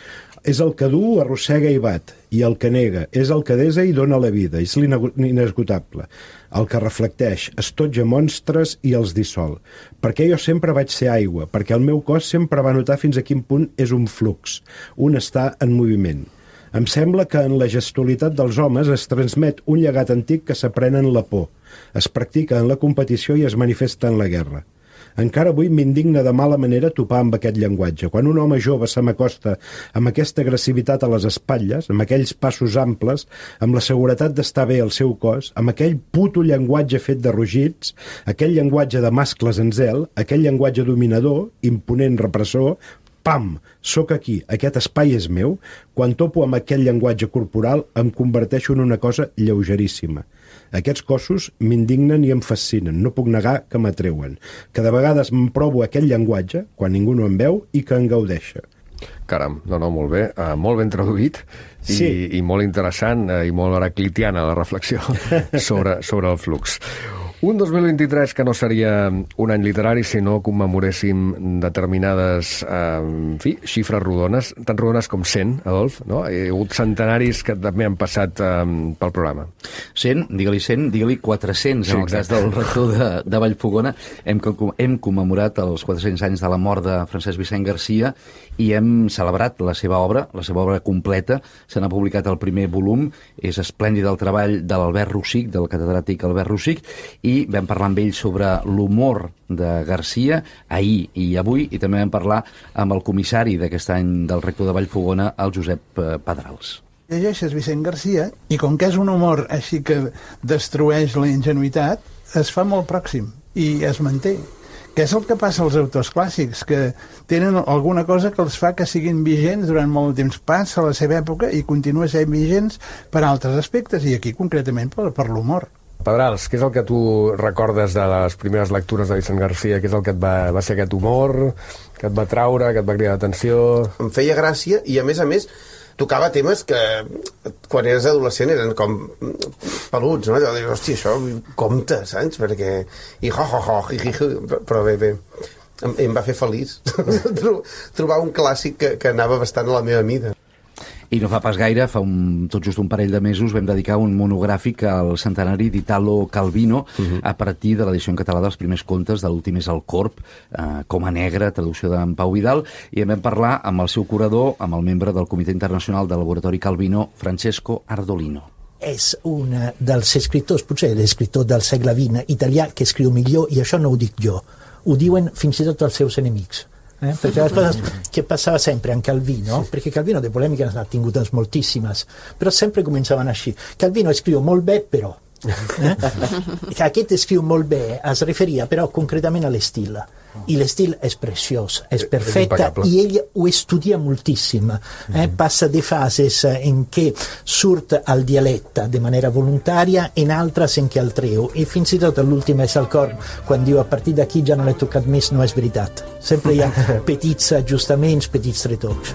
G: és el que du, arrossega i bat, i el que nega, és el que desa i dona la vida, és l'inesgotable, el que reflecteix, estotja monstres i els dissol. Perquè jo sempre vaig ser aigua, perquè el meu cos sempre va notar fins a quin punt és un flux, un estar en moviment. Em sembla que en la gestualitat dels homes es transmet un llegat antic que s'aprèn en la por, es practica en la competició i es manifesta en la guerra. Encara avui m'indigna de mala manera topar amb aquest llenguatge. Quan un home jove se m'acosta amb aquesta agressivitat a les espatlles, amb aquells passos amples, amb la seguretat d'estar bé al seu cos, amb aquell puto llenguatge fet de rugits, aquell llenguatge de mascles en zel, aquell llenguatge dominador, imponent repressor, pam, sóc aquí, aquest espai és meu, quan topo amb aquell llenguatge corporal em converteixo en una cosa lleugeríssima. Aquests cossos m'indignen i em fascinen, no puc negar que m'atreuen, que de vegades em provo aquell llenguatge, quan ningú no em veu, i que en gaudeixa.
B: Caram, molt bé, molt ben traduït i molt interessant i molt heraclitiana la reflexió sobre el flux. Un 2023 que no seria un any literari si no commemoréssim determinades xifres rodones, tan rodones com 100, Adolf, no? Hi ha hagut centenaris que també han passat pel programa.
D: 100, digue-li 100, digue-li 400, en el cas del rector de Vallfogona. Hem commemorat els 400 anys de la mort de Francesc Vicent Garcia i hem celebrat la seva obra completa. Se n'ha publicat el primer volum, és esplèndid el treball de l'Albert Rosic, del catedràtic Albert Rosic, i vam parlar amb ell sobre l'humor de Garcia ahir i avui, i també vam parlar amb el comissari d'aquest any del rector de Vallfogona, el Josep Pedrals.
S: Llegeixes Vicent Garcia i com que és un humor així que destrueix la ingenuïtat, es fa molt pròxim i es manté. Que és el que passa als autors clàssics, que tenen alguna cosa que els fa que siguin vigents durant molt de temps. Passa a la seva època i continua sent vigents per altres aspectes, i aquí concretament per l'humor.
B: Pedrals, què és el que tu recordes de les primeres lectures de Vicent Garcia? Què és el que va ser aquest humor, que et va traure, que et va cridar l'atenció?
T: Em feia gràcia i, a més, tocava temes que quan eres adolescent eren com peluts, no? Dius, hòstia, això compte, saps? Perquè... I però bé. Em va fer feliç trobar un clàssic que anava bastant a la meva mida.
D: I no fa pas gaire, tot just un parell de mesos, vam dedicar un monogràfic al centenari d'Italo Calvino a partir de l'edició en català dels primers contes de l'últim és el Corb, Coma Negra, traducció d'en Pau Vidal, i vam parlar amb el seu curador, amb el membre del Comitè Internacional del Laboratori Calvino, Francesco Ardolino.
U: És un dels escriptors, potser l'escriptor del segle XX italià que escriu millor, i això no ho dic jo, ho diuen fins i tot els seus enemics. Perché la cosa che passava sempre anche Calvino, perché Calvino de polemiche ne ha tinguto moltíssimes, però sempre començaven així. Calvino escriu molt bé, però aquest escriu molt bé es referia però concretament a l'estil, i l'estil és preciós, és perfecte, i ell ho estudia moltíssim, passa de fases en què surt al dialecte de manera voluntària, en altres en què el treu, i fins i tot l'últim és el Corb, quan diu a partir d'aquí ja no l'he tocat més, no és veritat. Sempre hi ha petits ajustaments, petits retocs.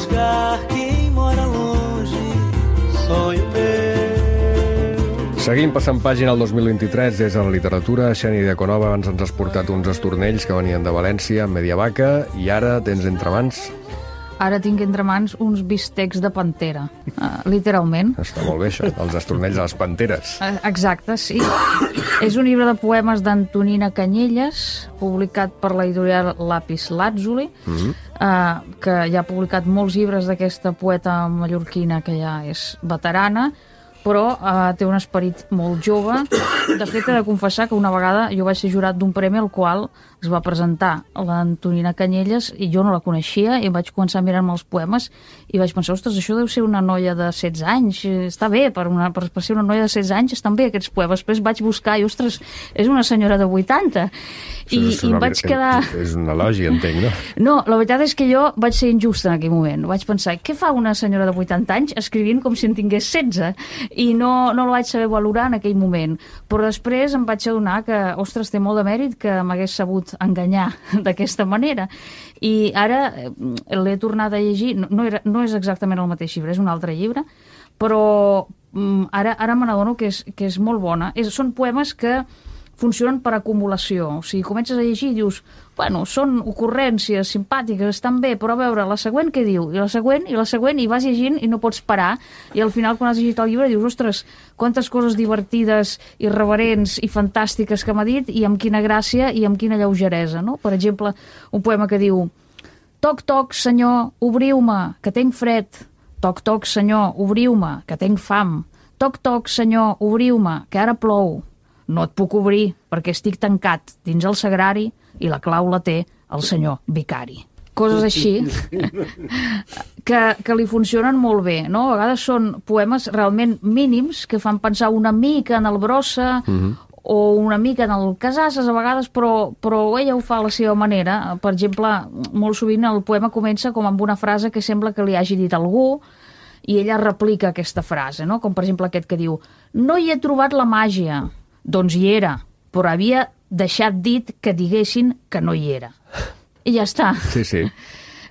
A: buscar quem mora longe, sonho meu.
B: Seguim passant pàgina al 2023 des de la literatura. Xènia Diaconova, abans ens has portat uns estornells que venien de València, Mediavaca, i ara tens entre mans...
I: Ara tinc entre mans uns bistecs de pantera, literalment.
B: Està molt bé, això, els estornells de les panteres.
I: Exacte, sí. És un llibre de poemes d'Antonina Canyelles, publicat per l'editorial Lapis Lazuli, que ja ha publicat molts llibres d'aquesta poeta mallorquina que ja és veterana, però té un esperit molt jove. De fet, he de confessar que una vegada jo vaig ser jurat d'un premi al qual es va presentar l'Antonina Canyelles i jo no la coneixia i vaig començar a mirar-me els poemes i vaig pensar, ostres, això deu ser una noia de 16 anys, està bé, per ser una noia de 16 anys estan bé aquests poemes. Després vaig buscar i, ostres, és una senyora de 80. I em vaig quedar...
B: És un elogi, entenc, no?
I: No, la veritat és que jo vaig ser injusta en aquell moment. Vaig pensar, què fa una senyora de 80 anys escrivint com si en tingués 16? I no la vaig saber valorar en aquell moment. Però després em vaig adonar que, ostres, té molt de mèrit que m'hagués sabut enganyar d'aquesta manera. I ara l'he tornat a llegir. No és exactament el mateix llibre, és un altre llibre, però ara me n'adono que és molt bona. Són poemes que funcionen per acumulació. O sigui, comences a llegir i dius, bueno, són ocurrències simpàtiques, estan bé, però a veure, la següent què diu? I la següent, i vas llegint i no pots parar. I al final, quan has llegit el llibre, dius, ostres, quantes coses divertides, irreverents i fantàstiques que m'ha dit, i amb quina gràcia i amb quina lleugeresa, no? Per exemple, un poema que diu, toc, toc, senyor, obriu-me, que tenc fred. Toc, toc, senyor, obriu-me, que tenc fam. Toc, toc, senyor, obriu-me, que ara plou. No et puc obrir perquè estic tancat dins el sagrari i la clau la té el senyor vicari. Coses així que li funcionen molt bé, no? A vegades són poemes realment mínims que fan pensar una mica en el Brossa o una mica en el Casases a vegades, però ella ho fa a la seva manera. Per exemple, molt sovint el poema comença com amb una frase que sembla que li hagi dit algú i ella replica aquesta frase, no? Com per exemple aquest que diu, no hi he trobat la màgia. Doncs hi era, però havia deixat dit que diguessin que no hi era. I ja està.
B: Sí, sí.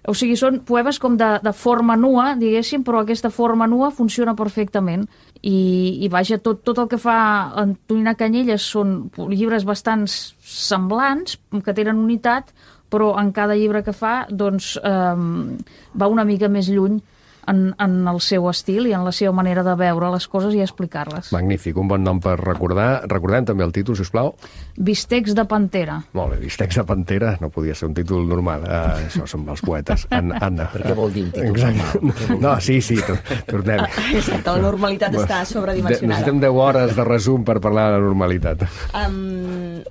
I: O sigui, són poemes com de forma nua, diguéssim, però aquesta forma nua funciona perfectament. I vaja, tot el que fa Antonina Canyelles són llibres bastant semblants, que tenen unitat, però en cada llibre que fa, doncs, va una mica més lluny en el seu estil i en la seva manera de veure les coses i explicar-les.
B: Magnífic, un bon nom per recordar. Recordem també el títol, sisplau.
I: Bistecs de pantera.
B: Molt bé, Bistecs de pantera, no podia ser un títol normal. Això són els poetes. Anna.
P: Per què vol dir un títol normal?
B: No, sí, tornem.
L: Exacte, la normalitat està sobredimensionada.
B: Necessitem 10 hores de resum per parlar de la normalitat.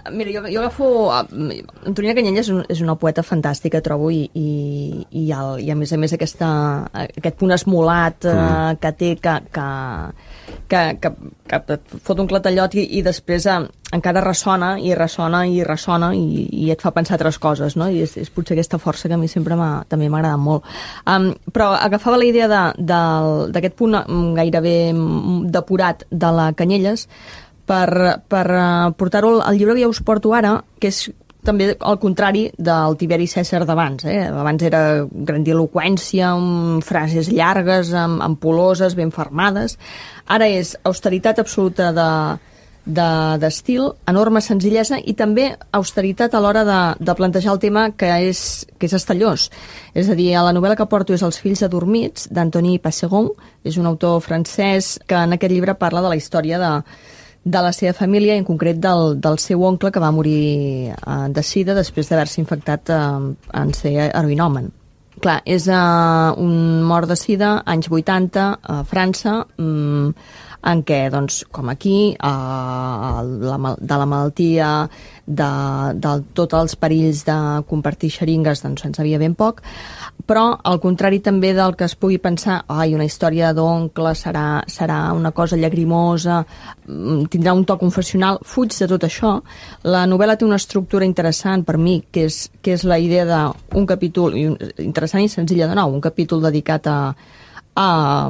L: Mira, jo agafo... Antonina Canyelles és una poeta fantàstica, trobo, i a més aquest punt esmolat que té, que fot un clatellot i després encara ressona i et fa pensar altres coses, no? I és potser aquesta força que a mi sempre també m'ha agradat molt. Però agafava la idea d'aquest punt gairebé depurat de la Canyelles per portar-ho al llibre que ja us porto ara, que és també al contrari del Tiberi Cèsar d'abans. Abans era grandiloqüència, amb frases llargues, ampuloses, ben fermades. Ara és austeritat absoluta d'estil, enorme senzillesa i també austeritat a l'hora de plantejar el tema que és estellós. És a dir, la novel·la que porto és Els fills adormits, d'Antony Passeron. És un autor francès que en aquest llibre parla de la història de la seva família, en concret del seu oncle que va morir de sida després d'haver-se infectat en ser heroïnomen. Clar, és un mort de sida, anys 80, a França, en què, doncs, com aquí, de la malaltia, de tots els perills de compartir xeringues, doncs se'n sabia ben poc, però al contrari també del que es pugui pensar, una història d'oncle serà una cosa llagrimosa, tindrà un to confessional, fuig de tot això. La novel·la té una estructura interessant per mi, que és la idea d'un capítol interessant i senzilla de nou, un capítol dedicat a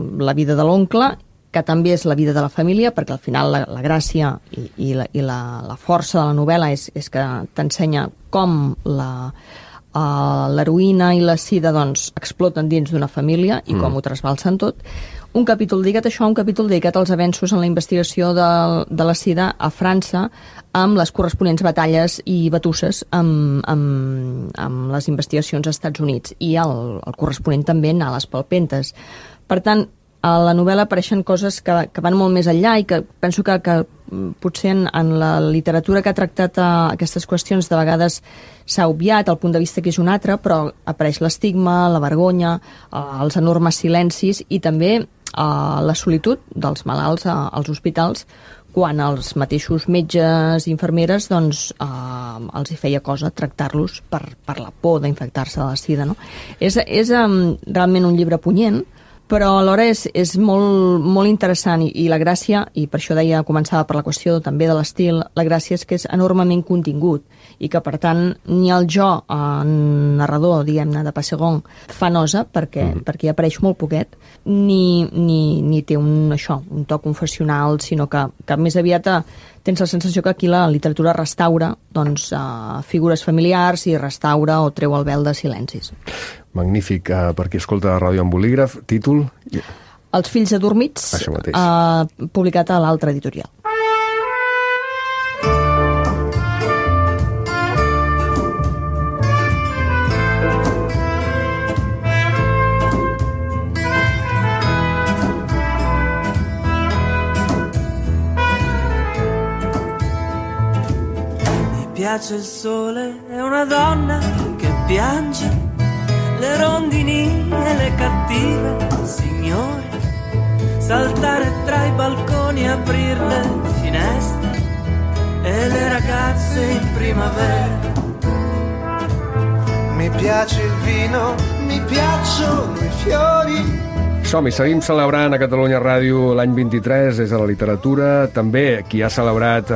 L: la vida de l'oncle, que també és la vida de la família, perquè al final la gràcia i la força de la novel·la és que t'ensenya com l'heroïna i la sida doncs, exploten dins d'una família i com ho trasbalsen tot. Un capítol dedicat a això, un capítol dedicat als avenços en la investigació de la sida a França, amb les corresponents batalles i batusses amb les investigacions als Estats Units i el corresponent també anar a les palpentes. Per tant, a la novel·la apareixen coses que van molt més enllà i que penso que potser en la literatura que ha tractat aquestes qüestions de vegades s'ha obviat, el punt de vista que és un altre, però apareix l'estigma, la vergonya, els enormes silencis i també la solitud dels malalts als hospitals quan els mateixos metges i infermeres doncs, els hi feia cosa tractar-los per la por d'infectar-se de la sida. No? És realment un llibre punyent, però alhora és molt interessant i la gràcia, i per això deia, començava per la qüestió també de l'estil, la gràcia és que és enormement contingut i que per tant ni el jo narrador, diguem-ne, de Passegon fa nosa perquè hi apareix molt poquet, ni té un to confessional, sinó que més aviat tens la sensació que aquí la literatura restaura doncs, figures familiars i restaura o treu el vel de silencis.
B: Magnífic. Per qui escolta Ràdio amb Bolígraf, títol?
L: Els fills adormits, publicat a l'altra editorial.
K: Mi piace il sole, è una donna che piange, le rondini e le cattive signore, saltare tra i balconi, aprir le finestre e le ragazze in primavera.
C: Mi piace il vino, mi piacciono i fiori.
B: Som-hi, seguim celebrant a Catalunya Ràdio l'any 23 des de la literatura. També qui ha celebrat,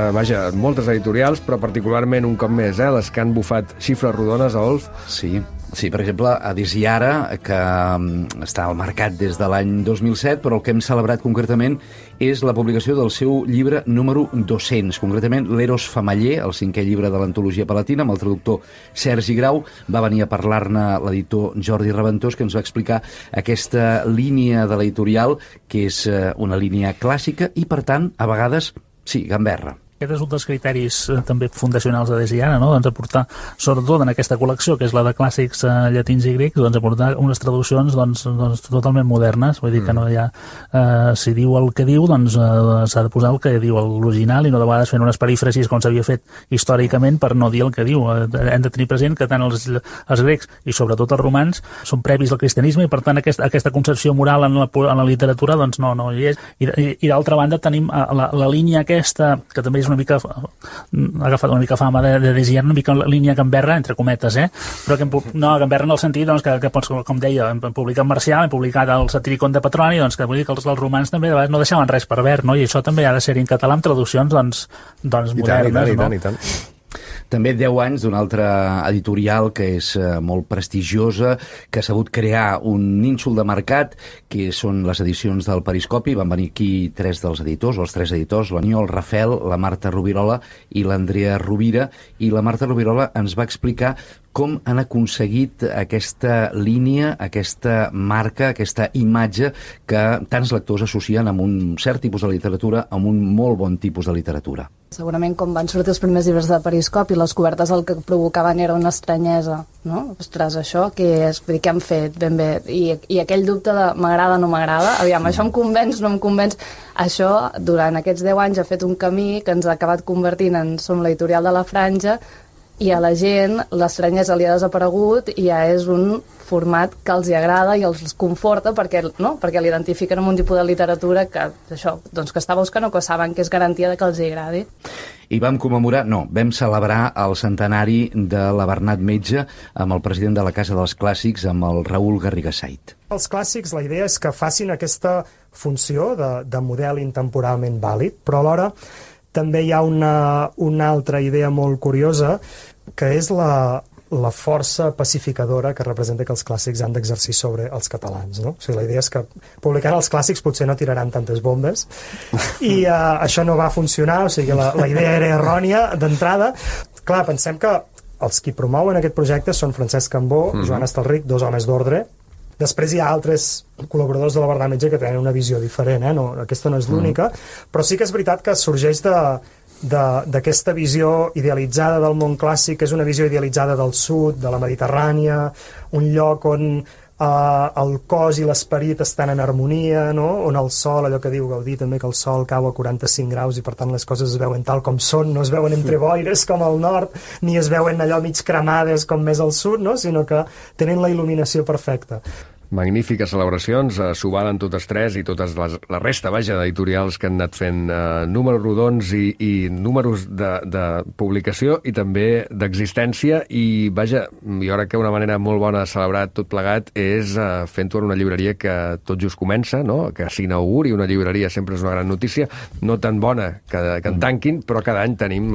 B: moltes editorials, però particularment un cop més, les que han bufat xifres rodones, Adolf.
D: Sí, per exemple, Adis i Ara, que està al mercat des de l'any 2007, però el que hem celebrat concretament és la publicació del seu llibre número 200, concretament l'Eros Famaller, el 5è llibre de l'antologia palatina, amb el traductor Sergi Grau. Va venir a parlar-ne l'editor Jordi Reventós, que ens va explicar aquesta línia de l'editorial, que és una línia clàssica i, per tant, a vegades, sí, gamberra.
V: Aquest és un dels criteris també fundacionals de Desiana, no? Doncs aportar, sobretot en aquesta col·lecció, que és la de clàssics llatins i grecs, doncs aportar unes traduccions doncs totalment modernes, vull dir que no hi ha... si diu el que diu, doncs s'ha de posar el que diu l'original i no de vegades fent unes perífrasis com s'havia fet històricament per no dir el que diu. Hem de tenir present que tant els grecs i sobretot els romans són previs al cristianisme i per tant aquesta concepció moral en la literatura doncs no hi és. I d'altra banda tenim la línia aquesta, que també és una mica, ha agafat una mica fama de Desiana, una mica la línia gamberra, entre cometes, però que no, gamberra en el sentit doncs, que com deia, hem publicat Marcial, hem publicat el Satiricon de Petroni, doncs que vull dir que els romans també de vegades no deixaven res per verd, no? I això també ha de ser en català amb traduccions doncs modernes.
B: I tant.
D: També 10 anys d'una altra editorial que és molt prestigiosa, que ha sabut crear un nínxol de mercat, que són les edicions del Periscopi. Van venir aquí 3 dels editors, els 3 editors, l'Aniol Rafel, la Marta Rubirola i l'Andrea Rovira. I la Marta Rubirola ens va explicar com han aconseguit aquesta línia, aquesta marca, aquesta imatge que tants lectors associen amb un cert tipus de literatura, amb un molt bon tipus de literatura.
W: Segurament com van sortir els primers llibres de Periscopi, les cobertes el que provocaven era una estranyesa, no? Ostres, això què és? Vull dir, què han fet ben bé? I aquell dubte de m'agrada o no m'agrada, aviam, això em convenç, no em convenç. Això, durant aquests 10 anys, ha fet un camí que ens ha acabat convertint en som l'editorial de la Franja, i a la gent l'estranyesa li ha desaparegut i ja és un format que els hi agrada i els conforta perquè l'identifiquen amb un tipus de literatura que està buscant o que saben que és garantia de que els hi agradi.
D: I vam celebrar el centenari de la Bernat Metge amb el president de la Casa dels Clàssics, amb el Raül Garrigasait.
X: Els clàssics, la idea és que facin aquesta funció de model intemporalment vàlid, però alhora també hi ha una altra idea molt curiosa, que és la força pacificadora que representa que els clàssics han d'exercir sobre els catalans, no? O sigui, la idea és que publicant els clàssics potser no tiraran tantes bombes i això no va funcionar, o sigui, la idea era errònia d'entrada. Clar, pensem que els qui promouen aquest projecte són Francesc Cambó, Joan Estalric, 2 homes d'ordre. Després hi ha altres col·laboradors de la Verdad Metge que tenen una visió diferent, no, aquesta no és l'única, però sí que és veritat que sorgeix d'aquesta visió idealitzada del món clàssic, que és una visió idealitzada del sud, de la Mediterrània, un lloc on el cos i l'esperit estan en harmonia, no? On el sol, allò que diu Gaudí també, que el sol cau a 45 graus i per tant les coses es veuen tal com són, no es veuen entre boires com al nord, ni es veuen allò mig cremades com més al sud, no? Sinó que tenen la il·luminació perfecta.
B: Magnífiques celebracions, s'ho valen totes tres i totes la resta, vaja, d'editorials que han anat fent números rodons i números de publicació i també d'existència i, vaja, jo crec que una manera molt bona de celebrar tot plegat és fent-ho en una llibreria que tot just comença, no? Que s'inauguri una llibreria sempre és una gran notícia, no tan bona que en tanquin, però cada any tenim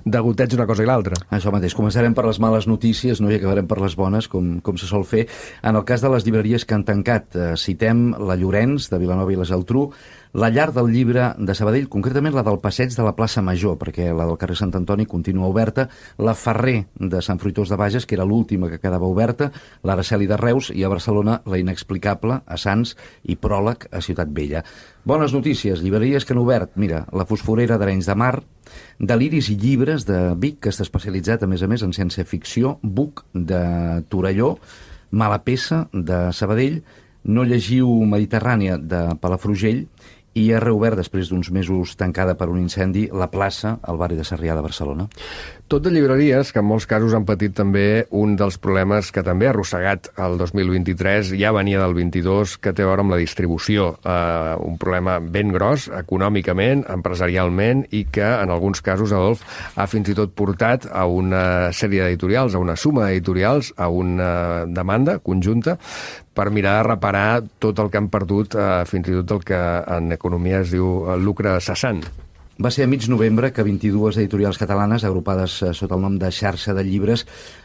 B: degoteig una cosa i l'altra.
D: Això mateix, començarem per les males notícies, no? I acabarem per les bones, com se sol fer. En el cas de les llibreries que han tancat, citem la Llorenç, de Vilanova i la Geltrú, la Llar del Llibre de Sabadell, concretament la del Passeig de la plaça Major, perquè la del carrer Sant Antoni continua oberta, la Ferrer de Sant Fruitós de Bages, que era l'última que quedava oberta, l'Araceli de Reus i a Barcelona la Inexplicable a Sants i Pròleg a Ciutat Vella. Bones notícies, llibreries que han obert, mira, la Fosforera d'Arenys de Mar, Deliris i Llibres de Vic, que està especialitzat a més en ciència-ficció, Buc de Torelló, Mala Peça, de Sabadell, No llegiu Mediterrània, de Palafrugell, i ha reobert, després d'uns mesos tancada per un incendi, la plaça al barri de Sarrià de Barcelona.
B: Tot de llibreries que en molts casos han patit també un dels problemes que també ha arrossegat el 2023, ja venia del 22, que té a veure amb la distribució. Un problema ben gros, econòmicament, empresarialment, i que en alguns casos, Adolf, ha fins i tot portat a una sèrie d'editorials, a una suma d'editorials, a una demanda conjunta, per mirar de reparar tot el que han perdut, fins i tot el que en economia es diu lucre cessant.
D: Va ser a mig novembre que 22 editorials catalanes, agrupades sota el nom de Xarxa de Llibres,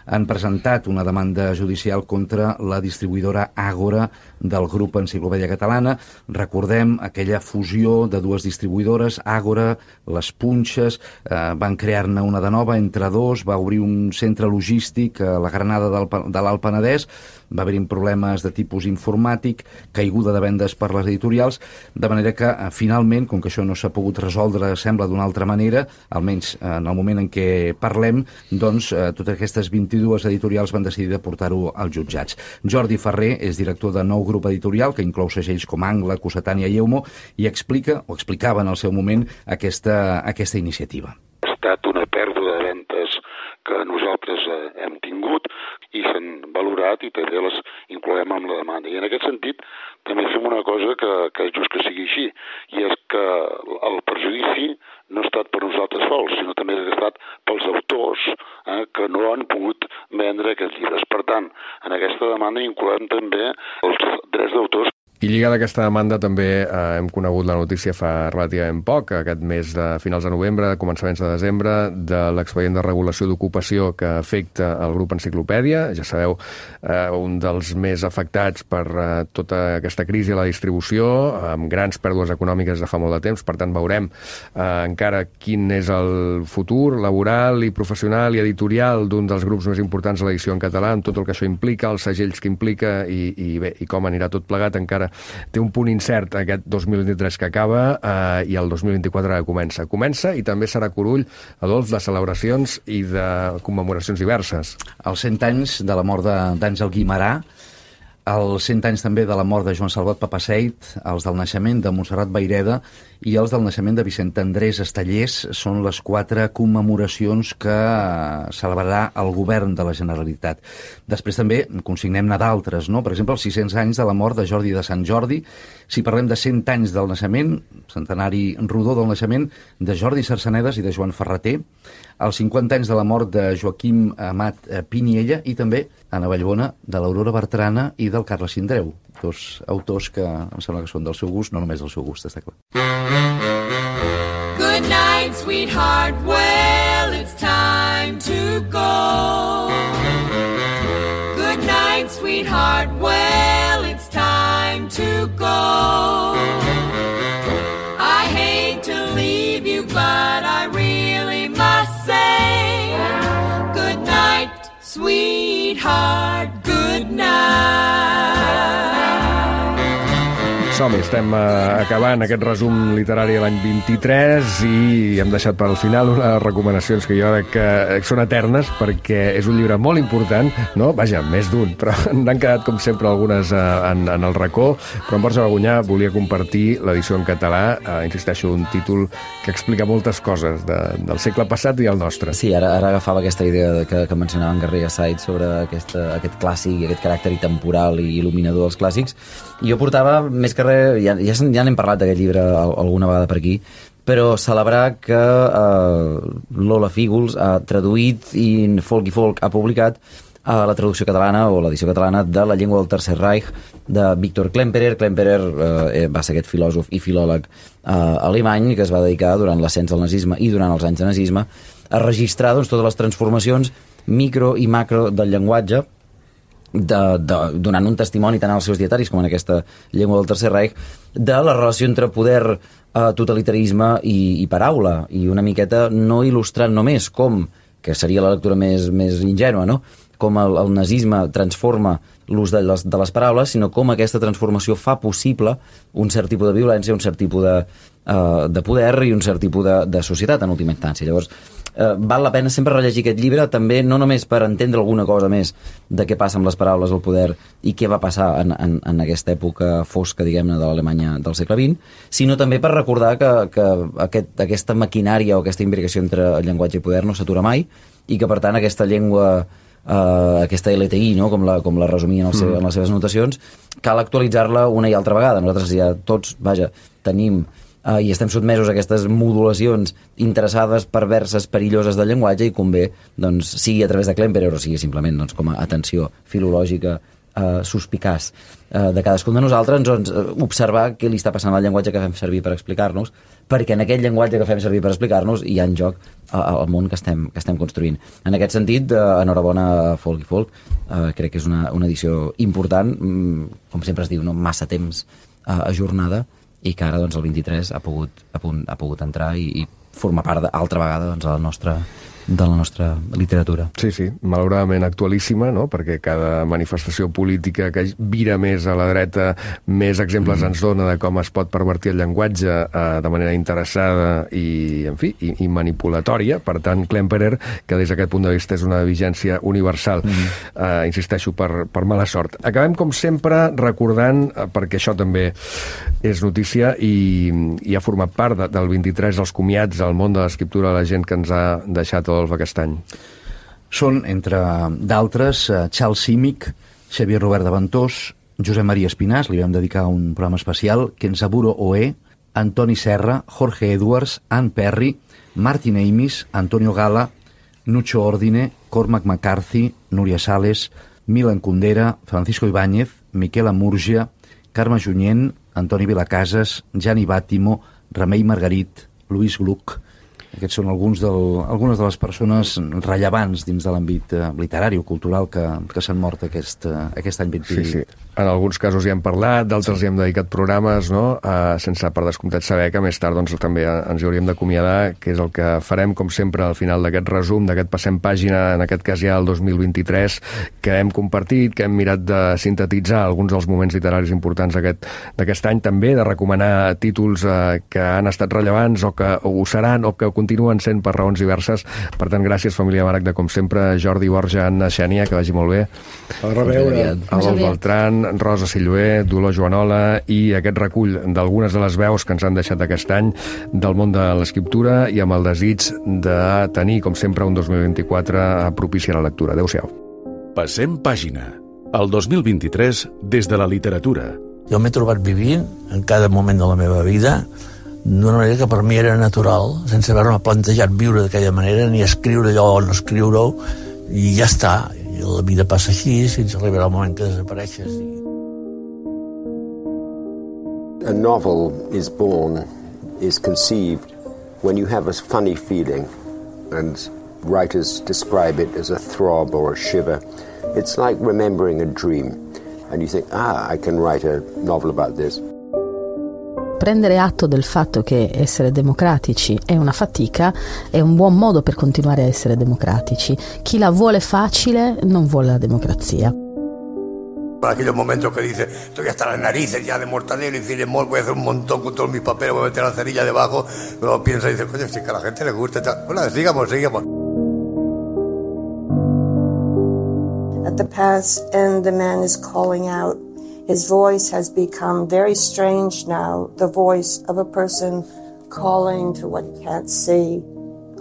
D: han presentat una demanda judicial contra la distribuïdora Àgora del grup Enciclopèdia Catalana. Recordem aquella fusió de dues distribuïdores, Àgora, Les Punxes, van crear-ne una de nova entre dos, va obrir un centre logístic a la Granada de l'Alt Penedès, va haver-hi problemes de tipus informàtic, caiguda de vendes per les editorials, de manera que finalment, com que això no s'ha pogut resoldre, sembla d'una altra manera, almenys en el moment en què parlem, doncs totes aquestes 22 editorials van decidir de portar-ho als jutjats. Jordi Ferrer és director de Nou Grup Editorial, que inclou segells com Angla, Cossetània i Eumo, i explica, o explicava en el seu moment, aquesta iniciativa.
E: Ha estat una pèrdua de ventes que nosaltres hem tingut i s'han valorat i també les incloem amb la demanda. I en aquest sentit també fem una cosa que és just que sigui així, i és que el perjudici no ha estat per nosaltres sols, sinó també ha estat pels autors que no han pogut vendre aquests llibres. Per tant, en aquesta demanda incloem també els drets d'autors.
B: I lligada a aquesta demanda també hem conegut la notícia fa relativament poc, aquest mes de finals de novembre, començaments de desembre, de l'expedient de regulació d'ocupació que afecta el grup Enciclopèdia. Ja sabeu, un dels més afectats per tota aquesta crisi a la distribució, amb grans pèrdues econòmiques de fa molt de temps. Per tant, veurem encara quin és el futur laboral i professional i editorial d'un dels grups més importants de l'edició en català, amb tot el que això implica, els segells que implica i com anirà tot plegat. Encara té un punt incert aquest 2023 que acaba i el 2024 que comença. Comença i també serà Curull, Adolf, de celebracions i de commemoracions diverses.
D: Els 100 anys de la mort d'Àngel Guimerà, els 100 anys també de la mort de Joan Salvat Papaseit, els del naixement de Montserrat Vayreda i els del naixement de Vicent Andrés Estellers són les 4 commemoracions que celebrarà el govern de la Generalitat. Després també consignem-ne d'altres, no? Per exemple, els 600 anys de la mort de Jordi de Sant Jordi. Si parlem de 100 anys del naixement, centenari rodó del naixement de Jordi Sarsenedes i de Joan Ferreter, els 50 anys de la mort de Joaquim Amat Piniella i també, a Vallbona, de l'Aurora Bertrana i del Carles Sindreu, dos autors que em sembla que són del seu gust, no només del seu gust, està clar.
R: Good night, sweetheart, well, it's time to go. Good night, sweetheart, well, it's time to go. I hate to leave you, but I really must say good night.
B: Som-hi, estem acabant aquest resum literari de l'any 23 i hem deixat per al final unes recomanacions que jo crec que són eternes perquè és un llibre molt important, no? Vaja, més d'un, però n'han quedat com sempre algunes en el racó, però en Borja Bagunyà volia compartir l'edició en català, insisteixo, un títol que explica moltes coses del segle passat i el nostre.
P: Sí, ara agafava aquesta idea que mencionava en Garriga Said sobre aquest clàssic, aquest caràcter temporal i il·luminador dels clàssics. I jo portava, més que res, ja n'hem parlat d'aquest llibre alguna vegada per aquí, però celebrar que Lola Fígols ha traduït i Folk ha publicat la traducció catalana o l'edició catalana de La llengua del Tercer Reich de Viktor Klemperer. Klemperer va ser aquest filòsof i filòleg alemany que es va dedicar durant l'ascens del nazisme i durant els anys de nazisme a registrar totes les transformacions micro i macro del llenguatge, donant un testimoni tant als seus dietaris com en aquesta llengua del Tercer Reich de la relació entre poder, totalitarisme i paraula, i una miqueta no il·lustrant només com, que seria la lectura més ingènua, no?, com el nazisme transforma l'ús de les paraules, sinó com aquesta transformació fa possible un cert tipus de violència, un cert tipus de poder i un cert tipus de societat en última instància. Llavors, val la pena sempre rellegir aquest llibre, també no només per entendre alguna cosa més de què passa amb les paraules, el poder i què va passar en aquesta època fosca, diguem-ne, de l'Alemanya del segle XX, sinó també per recordar que aquesta maquinària o aquesta imbricació entre el llenguatge i poder no s'atura mai i que, per tant, aquesta llengua, aquesta LTI, no?, com la resumien en les seves anotacions, cal actualitzar-la una i altra vegada. Nosaltres ja tots, tenim i estem sotmesos a aquestes modulacions interessades, perverses, perilloses del llenguatge i convé, sigui a través de Klemperer o sigui simplement com a atenció filològica suspicaç de cadascun de nosaltres, observar què li està passant al llenguatge que fem servir per explicar-nos, perquè en aquest llenguatge que fem servir per explicar-nos hi ha en joc el món que estem construint. En aquest sentit, enhorabona a Folk i Folk, crec que és una edició important, com sempre es diu, no? Massa temps ajornada, i que ara el 23 ha pogut entrar i formar part altra vegada de la nostra literatura.
B: Sí, malauradament actualíssima, no?, perquè cada manifestació política que vira més a la dreta, més exemples ens dona de com es pot pervertir el llenguatge de manera interessada i, en fi, i manipulatòria. Per tant, Klemperer, que des d'aquest punt de vista és una vigència universal, insisteixo, per mala sort. Acabem, com sempre, recordant, perquè això també és notícia i ha format part del 23 dels comiats al món de l'escriptura, la gent que ens ha deixat aquest any.
D: Són, entre d'altres, Charles Simic, Xavier Robert de Ventós, Josep Maria Espinàs, li vam dedicar un programa especial, Kenzaburo Oe, Antoni Serra, Jorge Edwards, Ann Perry, Martin Amis, Antonio Gala, Nucho Ordine, Cormac McCarthy, Núria Sales, Milan Kundera, Francisco Ibáñez, Miquel Amurgia, Carme Junyent, Antoni Vilacasas, Gianni Bàtimo, Remei Margarit, Lluís Gluck. Aquests són algunes de les persones rellevants dins de l'àmbit literari o cultural que s'han mort aquest any 20.
B: Sí. En alguns casos hi hem parlat, d'altres hi hem dedicat programes, no?, sense per descomptat saber que més tard també ens hi hauríem d'acomiadar, que és el que farem, com sempre, al final d'aquest resum, d'aquest passem pàgina, en aquest cas ja el 2023, que hem compartit, que hem mirat de sintetitzar alguns dels moments literaris importants d'aquest any, també de recomanar títols que han estat rellevants o que ho seran o que continuen sent per raons diverses. Per tant, gràcies, família Maragda, com sempre, Jordi, Borja, Anna, Xènia, que vagi molt bé.
G: A reveure.
B: Adol Beltran, Rosa Silloé, Dolor Joanola i aquest recull d'algunes de les veus que ens han deixat aquest any del món de l'escriptura i amb el desig de tenir, com sempre, un 2024 propici a la lectura. Adéu-siau.
F: Passem pàgina. El 2023 des de la literatura.
H: Jo m'he trobat vivint en cada moment de la meva vida d'una manera que per mi era natural, sense haver-me plantejat viure d'aquella manera, ni escriure allò o no escriure-ho, i ja està. I la vida passa així fins a arribar al moment que desapareixes.
J: A novel is born, is conceived when you have a funny feeling, and writers describe it as a throb or a shiver. It's like remembering a dream, and you think, I can write a novel about this.
M: Prendere atto del fatto che essere democratici è una fatica è un buon modo per continuare a essere democratici. Chi la vuole facile non vuole la democrazia.
N: Aquellos momentos que dice, estoy hasta las narices ya de Mortadelo y Filemón, voy a hacer un montón con todos mis papeles, voy a meter la cerilla debajo, luego piensa y dice, coño, si que a la gente le gusta. Bueno, sigamos.
O: At the path's end, the man is calling out. His voice has become very strange now, the voice of a person calling to what he can't see.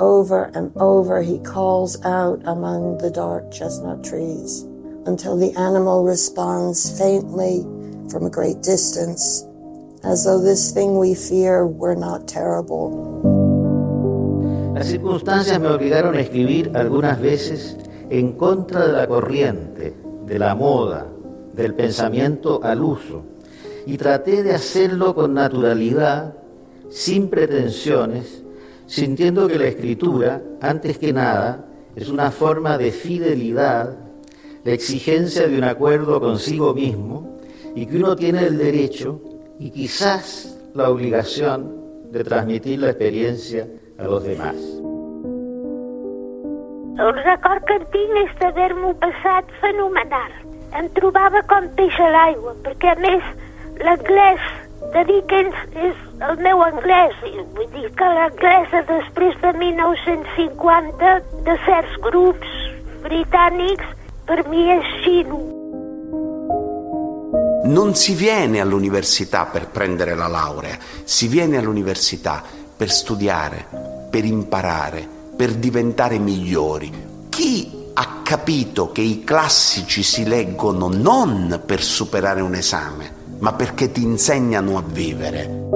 O: Over and over he calls out among the dark chestnut trees until the animal responds faintly from a great distance, as though this thing we fear were not terrible.
Q: Las circunstancias me obligaron a escribir algunas veces en contra de la corriente, de la moda, del pensamiento al uso, y traté de hacerlo con naturalidad, sin pretensiones, sintiendo que la escritura, antes que nada, es una forma de fidelidad, la exigencia de un acuerdo consigo mismo, y que uno tiene el derecho y quizás la obligación de transmitir la experiencia a los demás.
S: El record que en tinc és d'haver-m'ho passat fenomenal. Em trobava com peix a l'aigua, perquè a més l'anglès de Dickens és el meu anglès, vull dir que l'anglès després de 1950 de certs grups britànics per mi és xino.
Y: Non si viene all'università per prendere la laurea, si viene all'università per studiare, per imparare, per diventare migliori. Chi ha capito che i classici si leggono non per superare un esame, ma perché ti insegnano a vivere?